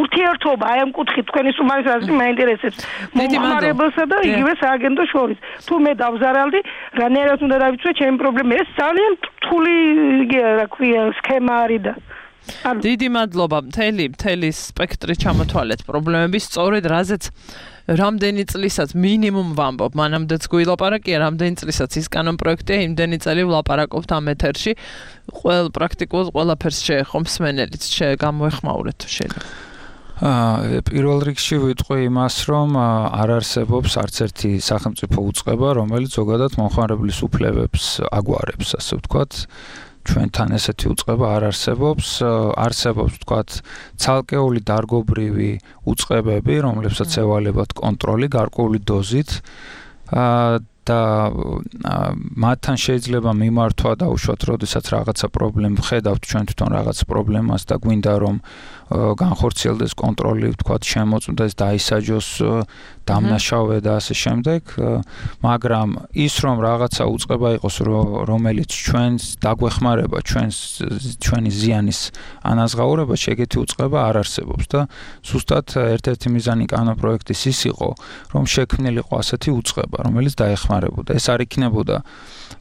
S13: ურთიერთობა აი ამ კუთხით თქვენი სტუმარის აზრი მაინტერესებს მომხმარებელსა და იგივე სააგენტოს შორის თუ მე დავზარალდი რანაირად უნდა დავიცვე ჩემი პრობლემა ეს ძალიან რთული რა ქვია სქემა არის და
S2: დიდი მადლობა მთელი მთელი სპექტრი ჩამოთვალეთ პრობლემების სწორედ რაზეც რამდენი წლისაც მინიმუმ ვამბობ მანამდეც გვილაპარაკია რამდენი წლისაც ის კანონ პროექტია იმდენი წელი ვლაპარაკობთ ამ ეთერში ყველ პრაქტიკულად ყველაფერს შეეხო მსმენელიც გამოეხმაურეთ თუ შეიძლება
S11: აა პირველ რიგში ვიტყვი იმას რომ არ არსებობს არც ერთი სახელმწიფო უწყება რომელიც ზოგადად მომხმარებლის უფლებებს აგვარებს ასე ვთქვათ ჩვენთან ესეთი უწყება არ არსებობს, არსებობს თქვათ ცალკეული დარგობრივი უწყებები, რომლებსაც ევალებათ კონტროლი გარკვეული დოზით და მათთან შეიძლება მიმართვა დაუშვათ, როდესაც რაღაცა პრობლემა ხედავთ ჩვენ თვითონ რაღაც პრობლემას და გვინდა რომ განხორციელდეს კონტროლი, თქვათ შემოწმდეს, დაისაჯოს დამნაშავე და ასე შემდეგ, მაგრამ ის რომ რაღაცა უწყება იყოს, რომელიც ჩვენს დაგვეხმარება, ჩვენს ჩვენი ზიანის ანაზღაურებაში, ეგეთი უწყება არ არსებობს და ზუსტად ერთ-ერთი მიზანი კანონ პროექტის ის იყო, რომ შექმნილიყო ასეთი უწყება, რომელიც დაეხმარება ეხმარებოდა. ეს არ იქნებოდა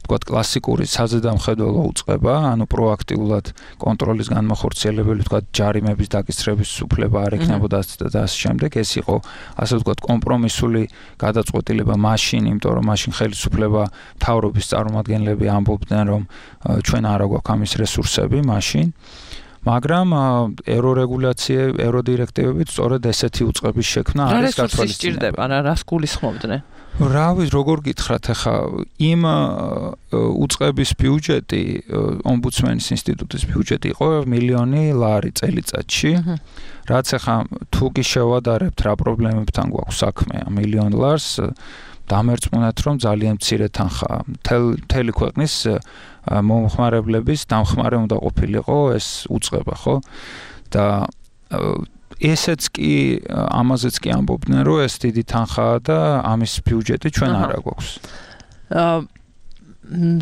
S11: ვთქვათ კლასიკური საზედამხედველო უწყება, ანუ პროაქტიულად კონტროლის განმახორციელებელი, ვთქვათ ჯარიმების დაკისრების უფლება არ იქნებოდა და ასე შემდეგ. ეს იყო ასე ვთქვათ კომპრომისული გადაწყვეტილება მაშინ, იმიტომ რომ მაშინ ხელისუფლება მთავრობის წარმომადგენლები ამბობდნენ, რომ ჩვენ არ აგვაქვს ამის რესურსები მაშინ. მაგრამ ევრორეგულაცია, ევროდირექტივებით სწორედ ესეთი უწყების შექმნა არის გათვალისწინებული.
S2: რა რას გულისხმობდნენ?
S11: რა ვიცი, როგორ გითხრათ ახლა იმ უწყების ბიუჯეტი, ომბუდსმენის ინსტიტუტის ბიუჯეტი იყო მილიონი ლარი წელიწადში. რაც ახლა თუ კი შევადარებთ რა პრობლემებთან გვაქვს საქმე ამ მილიონ ლარს, დამერწმუნეთ რომ ძალიან მცირე თანხაა. მთელი ქვეყნის მომხმარებლების დამხმარე უნდა ყოფილიყო ეს უწყება, ხო? და ესეც კი ამაზეც კი ამბობდნენ რომ ეს დიდი თანხაა და ამის ბიუჯეტი ჩვენ არ აგვაქვს.
S2: აა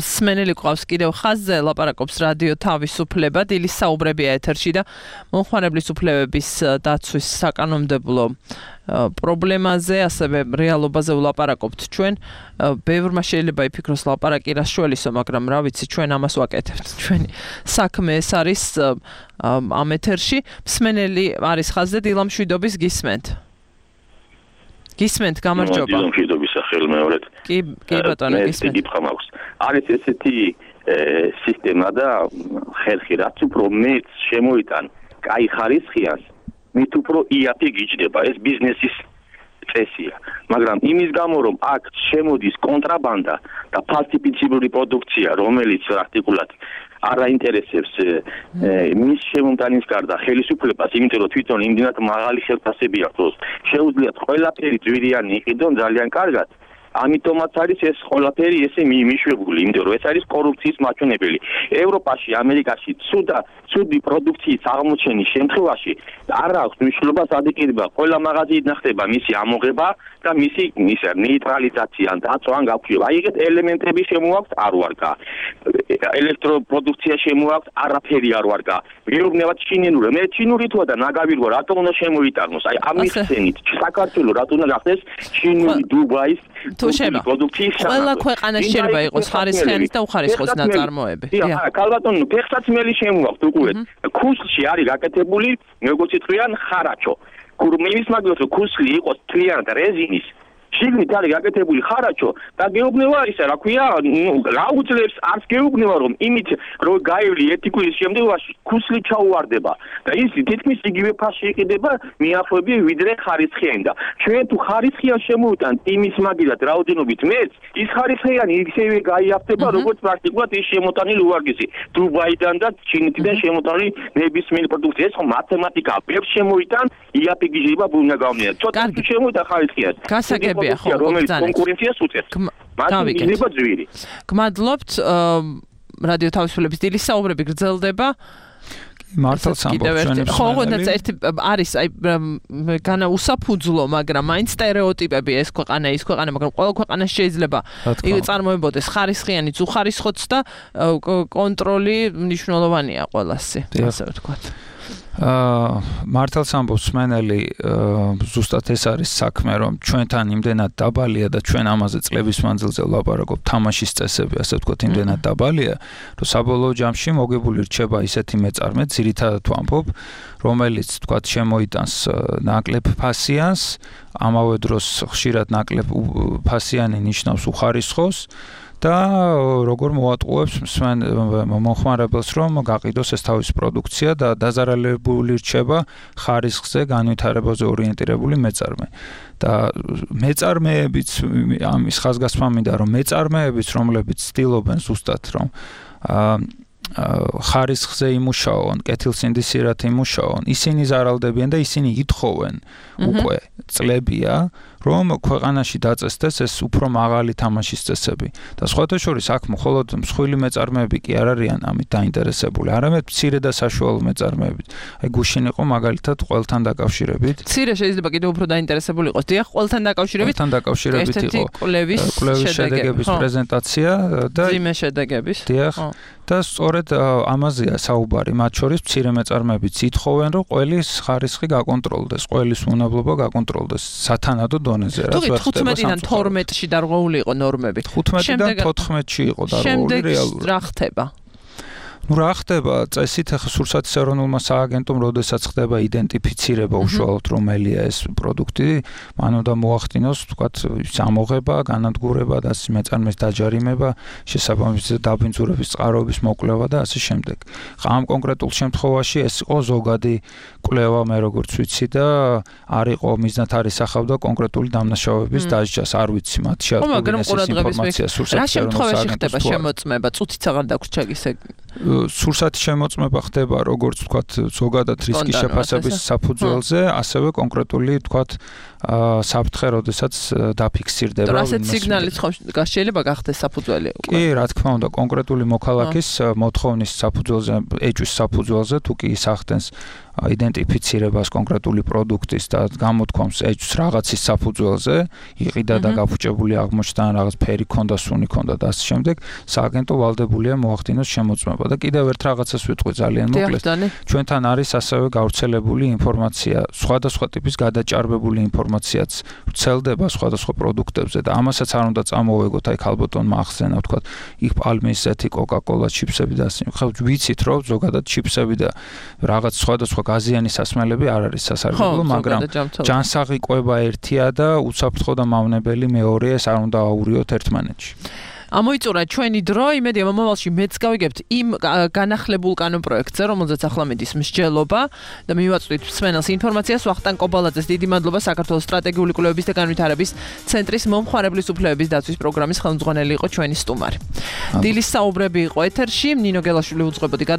S2: სმენელი ყავს კიდევ ხაზზე, ლაპარაკობს რადიო თავისუფლება, დილის საუბრებია ეთერში და მომხმარებლის უფლებების დაცვის საკანონმდებლო პრობლემაზე, ასევე რეალობაზე ვლაპარაკობთ ჩვენ. ბევრმა შეიძლება იფიქროს ლაპარაკი რას შველისო, მაგრამ რა ვიცი, ჩვენ ამას ვაკეთებთ. ჩვენი საქმე ეს არის ამ ეთერში. სმენელი არის ხაზზე, დილამშვიდობის გისმენთ. გისმენთ, გამარჯობა.
S9: დილამშვიდობის სახელმეორედ.
S2: კი, კი ბატონო, გისმენთ.
S9: კითხვა მაქვს. არის ესეთი სისტემა და ხერხი, რაც უფრო მეც შემოიტან კაი ხარისხიას, მით უფრო იაფი გიჯდება, ეს ბიზნესის წესია. მაგრამ იმის გამო, რომ აქ შემოდის კონტრაბანდა და ფალსიფიცირებული პროდუქცია, რომელიც პრაქტიკულად არ აინტერესებს მის შემომტანის გარდა ხელისუფლებას, იმიტომ რომ თვითონ იმდენად მაღალი ხელფასები აქვს, შეუძლიათ ყველაფერი ძვირიანი იყიდონ ძალიან კარგად. ამიტომაც არის ეს ყველაფერი ესე მიშვებული, იმიტომ რომ ეს არის კორუფციის მაჩვენებელი. ევროპაში, ამერიკაში ცუდა, ცუდი პროდუქციის აღმოჩენის შემთხვევაში არ აქვს მნიშვნელობა სადიკირება, ყველა მაღაზიიდან ხდება მისი ამოღება და მისი ისა ნეიტრალიზაცია ან დაცვა ან გაქვეყნება. აი ეგეთ ელემენტები შემოაქვს არ ვარგა. ელექტროპროდუქცია შემოაქვს, არაფერი არ ვარგა. მეუბნებათ ჩინური, მე ჩინური თუა და ნაგავირვა რატომ უნდა შემოიტანოს? აი ამის ხსენით საქართველოს რატომ უნდა გახდეს ჩინური დუბაის
S2: თუ შევა ყველა ქვეყანა შეიძლება იყოს ხარისხიანის და უხარისხოს ნაწარმოები.
S9: დიახ, ქალბატონო, ფეხსაცმელი შემოაქვს უყურეთ. ქუსლში არის გაკეთებული, როგორც იტყვიან, ხარაჩო. კურმინის მაგალითად, ქუსლი იყოს თლიანად რეზინის, შიგნით არის გაკეთებული ხარაჩო და გეუბნება ისა, რა ქვია, რა უძლებს არც გეუბნება რომ იმით რომ გაივლი ერთი კვირის შემდგომში ქუსლი ჩაუვარდება და ის თითქმის იგივე ფასში იყიდება მიახლოებით ვიდრე ხარისხიანი და ჩვენ თუ ხარისხიან შემოვიტანთ იმის მაგილად რაოდენობით მეც ის ხარისხიანი ისევე გაიაფთება როგორც პრაქტიკულად ის შემოტანილი უარგისი დუბაიდან და ჩინეთიდან შემოტანილი ნებისმიერი პროდუქცია ეს ხო მათემატიკაა ბევრს შემოვიტან იაფი გიჟება ბუნა გამნია ცოტა თუ შემოვიტან ხარისხიანს
S2: გასაგებია ხო
S9: რომელიც კონკურენციას უწევს მათი გიჟება ძვირი
S2: გმადლობთ რადიო თავისუფლების დილის საუბრები გრძელდება
S11: მართალს ამბობ ჩვენ
S2: ხო ხონდაც ერთი არის აი განა უსაფუძვლო მაგრამ მაინც სტერეოტიპები ეს ქვეყანა ის ქვეყანა მაგრამ ყველა ქვეყანაში შეიძლება იგივე წარმოებოდეს ხარისხიანი უხარისხოც და კონტროლი მნიშვნელოვანია ყველასი ასე ვთქვათ
S11: აა მართალს ამბობს სმენელი ზუსტად ეს არის საქმე რომ ჩვენთან იმდენად დაბალია და ჩვენ ამაზე წლების მანძილზე ვლაპარაკობთ თამაშის წესები ასე ვთქვათ იმდენად დაბალია რომ საბოლოო ჯამში მოგებული რჩება ისეთი მეწარმე ძირითადად ვამბობ რომელიც ვთქვათ შემოიტანს ნაკლებ ფასიანს ამავე დროს ხშირად ნაკლებ ფასიანი ნიშნავს უხარისხოს და როგორ მოატყუებს მსმენ მომხმარებელს რომ გაყიდოს ეს თავის პროდუქცია და დაზარალებული რჩება ხარისხზე განვითარებაზე ორიენტირებული მეწარმე და მეწარმეებიც ამის ხაზგასმა მინდა რომ მეწარმეებიც რომლებიც ცდილობენ ზუსტად რომ ხარისხზე იმუშაონ, კეთილსინდისიერად იმუშაონ, ისინი ზარალდებიან და ისინი ითხოვენ უკვე წლებია, რომ ქვეყანაში დაწესდეს ეს უფრო მაღალი თამაშის წესები. და სხვათა შორის აქ მხოლოდ მსხვილი მეწარმეები კი არ არიან ამით დაინტერესებული, არამედ მცირე და საშუალო მეწარმეები. აი გუშინ იყო მაგალითად ყველთან დაკავშირებით.
S2: მცირე შეიძლება კიდევ უფრო დაინტერესებული იყოს. დიახ, ყველთან დაკავშირებით.
S11: ყველთან დაკავშირებით იყო კვლევის შედეგების პრეზენტაცია და
S2: ძიმე შედეგების.
S11: დიახ. და სწორედ ამაზეა საუბარი, მათ შორის მცირე მეწარმეებიც ითხოვენ, რომ ყველის ხარისხი გაკონტროლდეს, ყველის უნებლობა გაკონტროლდეს სათანადო დონეზე რა.
S2: თუ ხუთმეტიდან თორმეტში დარღვეული იყო ნორმები.
S11: ხუთმეტიდან თოთხმეტში იყო დარღვეული რეალურად.
S2: რა ხდება?
S11: ну რა ხდება წესით ახლა სურსათის ეროვნულმა სააგენტომ როდესაც ხდება იდენტიფიცირება უშუალოდ რომელია ეს პროდუქტი მან უნდა მოახდინოს თქვათ ამოღება განადგურება და ასე მეწარმეს დაჯარიმება შესაბამისად დაბინძურების წყაროების მოკვლევა და ასე შემდეგ ამ კონკრეტულ შემთხვევაში ეს იყო ზოგადი კვლევა მე როგორც ვიცი და არ იყო მიზნად არ ისახავდა კონკრეტული დამნაშავების დასჯას არ ვიცი მათ შეადგენს ეს ინფორმაცია სურსათის ეროვნულ სააგენტოს
S2: ხდება შემოწმება წუთიც აღარ დაგვრჩა ისე
S11: სურსათის შემოწმება ხდება როგორც ვთქვათ ზოგადად რისკის შეფასების საფუძველზე, ასევე კონკრეტული ვთქვათ საფრთხე, როდესაც დაფიქსირდება.
S2: ასეთ სიგნალიც ხომ შეიძლება გახდეს საფუძველი უკვე.
S11: კი, რა თქმა უნდა, კონკრეტული მოქალაქის მოთხოვნის საფუძველზე, ეჭვის საფუძველზე თუ კი სახდენს იდენტიფიცირებას კონკრეტული პროდუქტის და გამოთქვამს ეჭვს რაღაცის საფუძველზე, იყიდა და გაფუჭებული აღმოჩნდა რაღაც ფერი ქონდა, სუნი ქონდა და ასე შემდეგ, სააგენტო ვალდებულია მოახდინოს შემოწმება და კიდევ ერთ რაღაცას ვიტყვი ძალიან მოკლედ. ჩვენთან არის ასევე გავრცელებული ინფორმაცია, სხვადასხვა ტიპის გადაჭარბებული ინფორმაციაც ვრცელდება სხვადასხვა პროდუქტებზე და ამასაც არ უნდა წამოვეგოთ აი ქალბატონმა ახსენა, ვთქვათ, იქ პალმის ზეთი, კოკა-კოლა, ჩიფსები და ასე. ხო, ვიცით რომ ზოგადად ჩიფსები და რაღაც სხვადასხვა გაზიანი სასმელები არ არის სასარგებლო, მაგრამ ჯანსაღი კვება ერთია და უსაფრთხო და მავნებელი მეორეა, ეს არ უნდა აურიოთ ერთმანეთში.
S2: ამოიწურა ჩვენი დრო, იმედია მომავალში მეც გავიგებთ იმ განახლებულ კანონპროექტზე, რომელზეც ახლა მიდის მსჯელობა და მივაწვდით მსმენელს ინფორმაციას. ვახტანგ კობალაძეს დიდი მადლობა საქართველოს სტრატეგიული კვლევების და განვითარების ცენტრის მომხმარებლის უფლებების დაცვის პროგრამის ხელმძღვანელი იყო ჩვენი სტუმარი. დილის საუბრები იყო ეთერში, ნინო გელაშვილი უძღვებოდი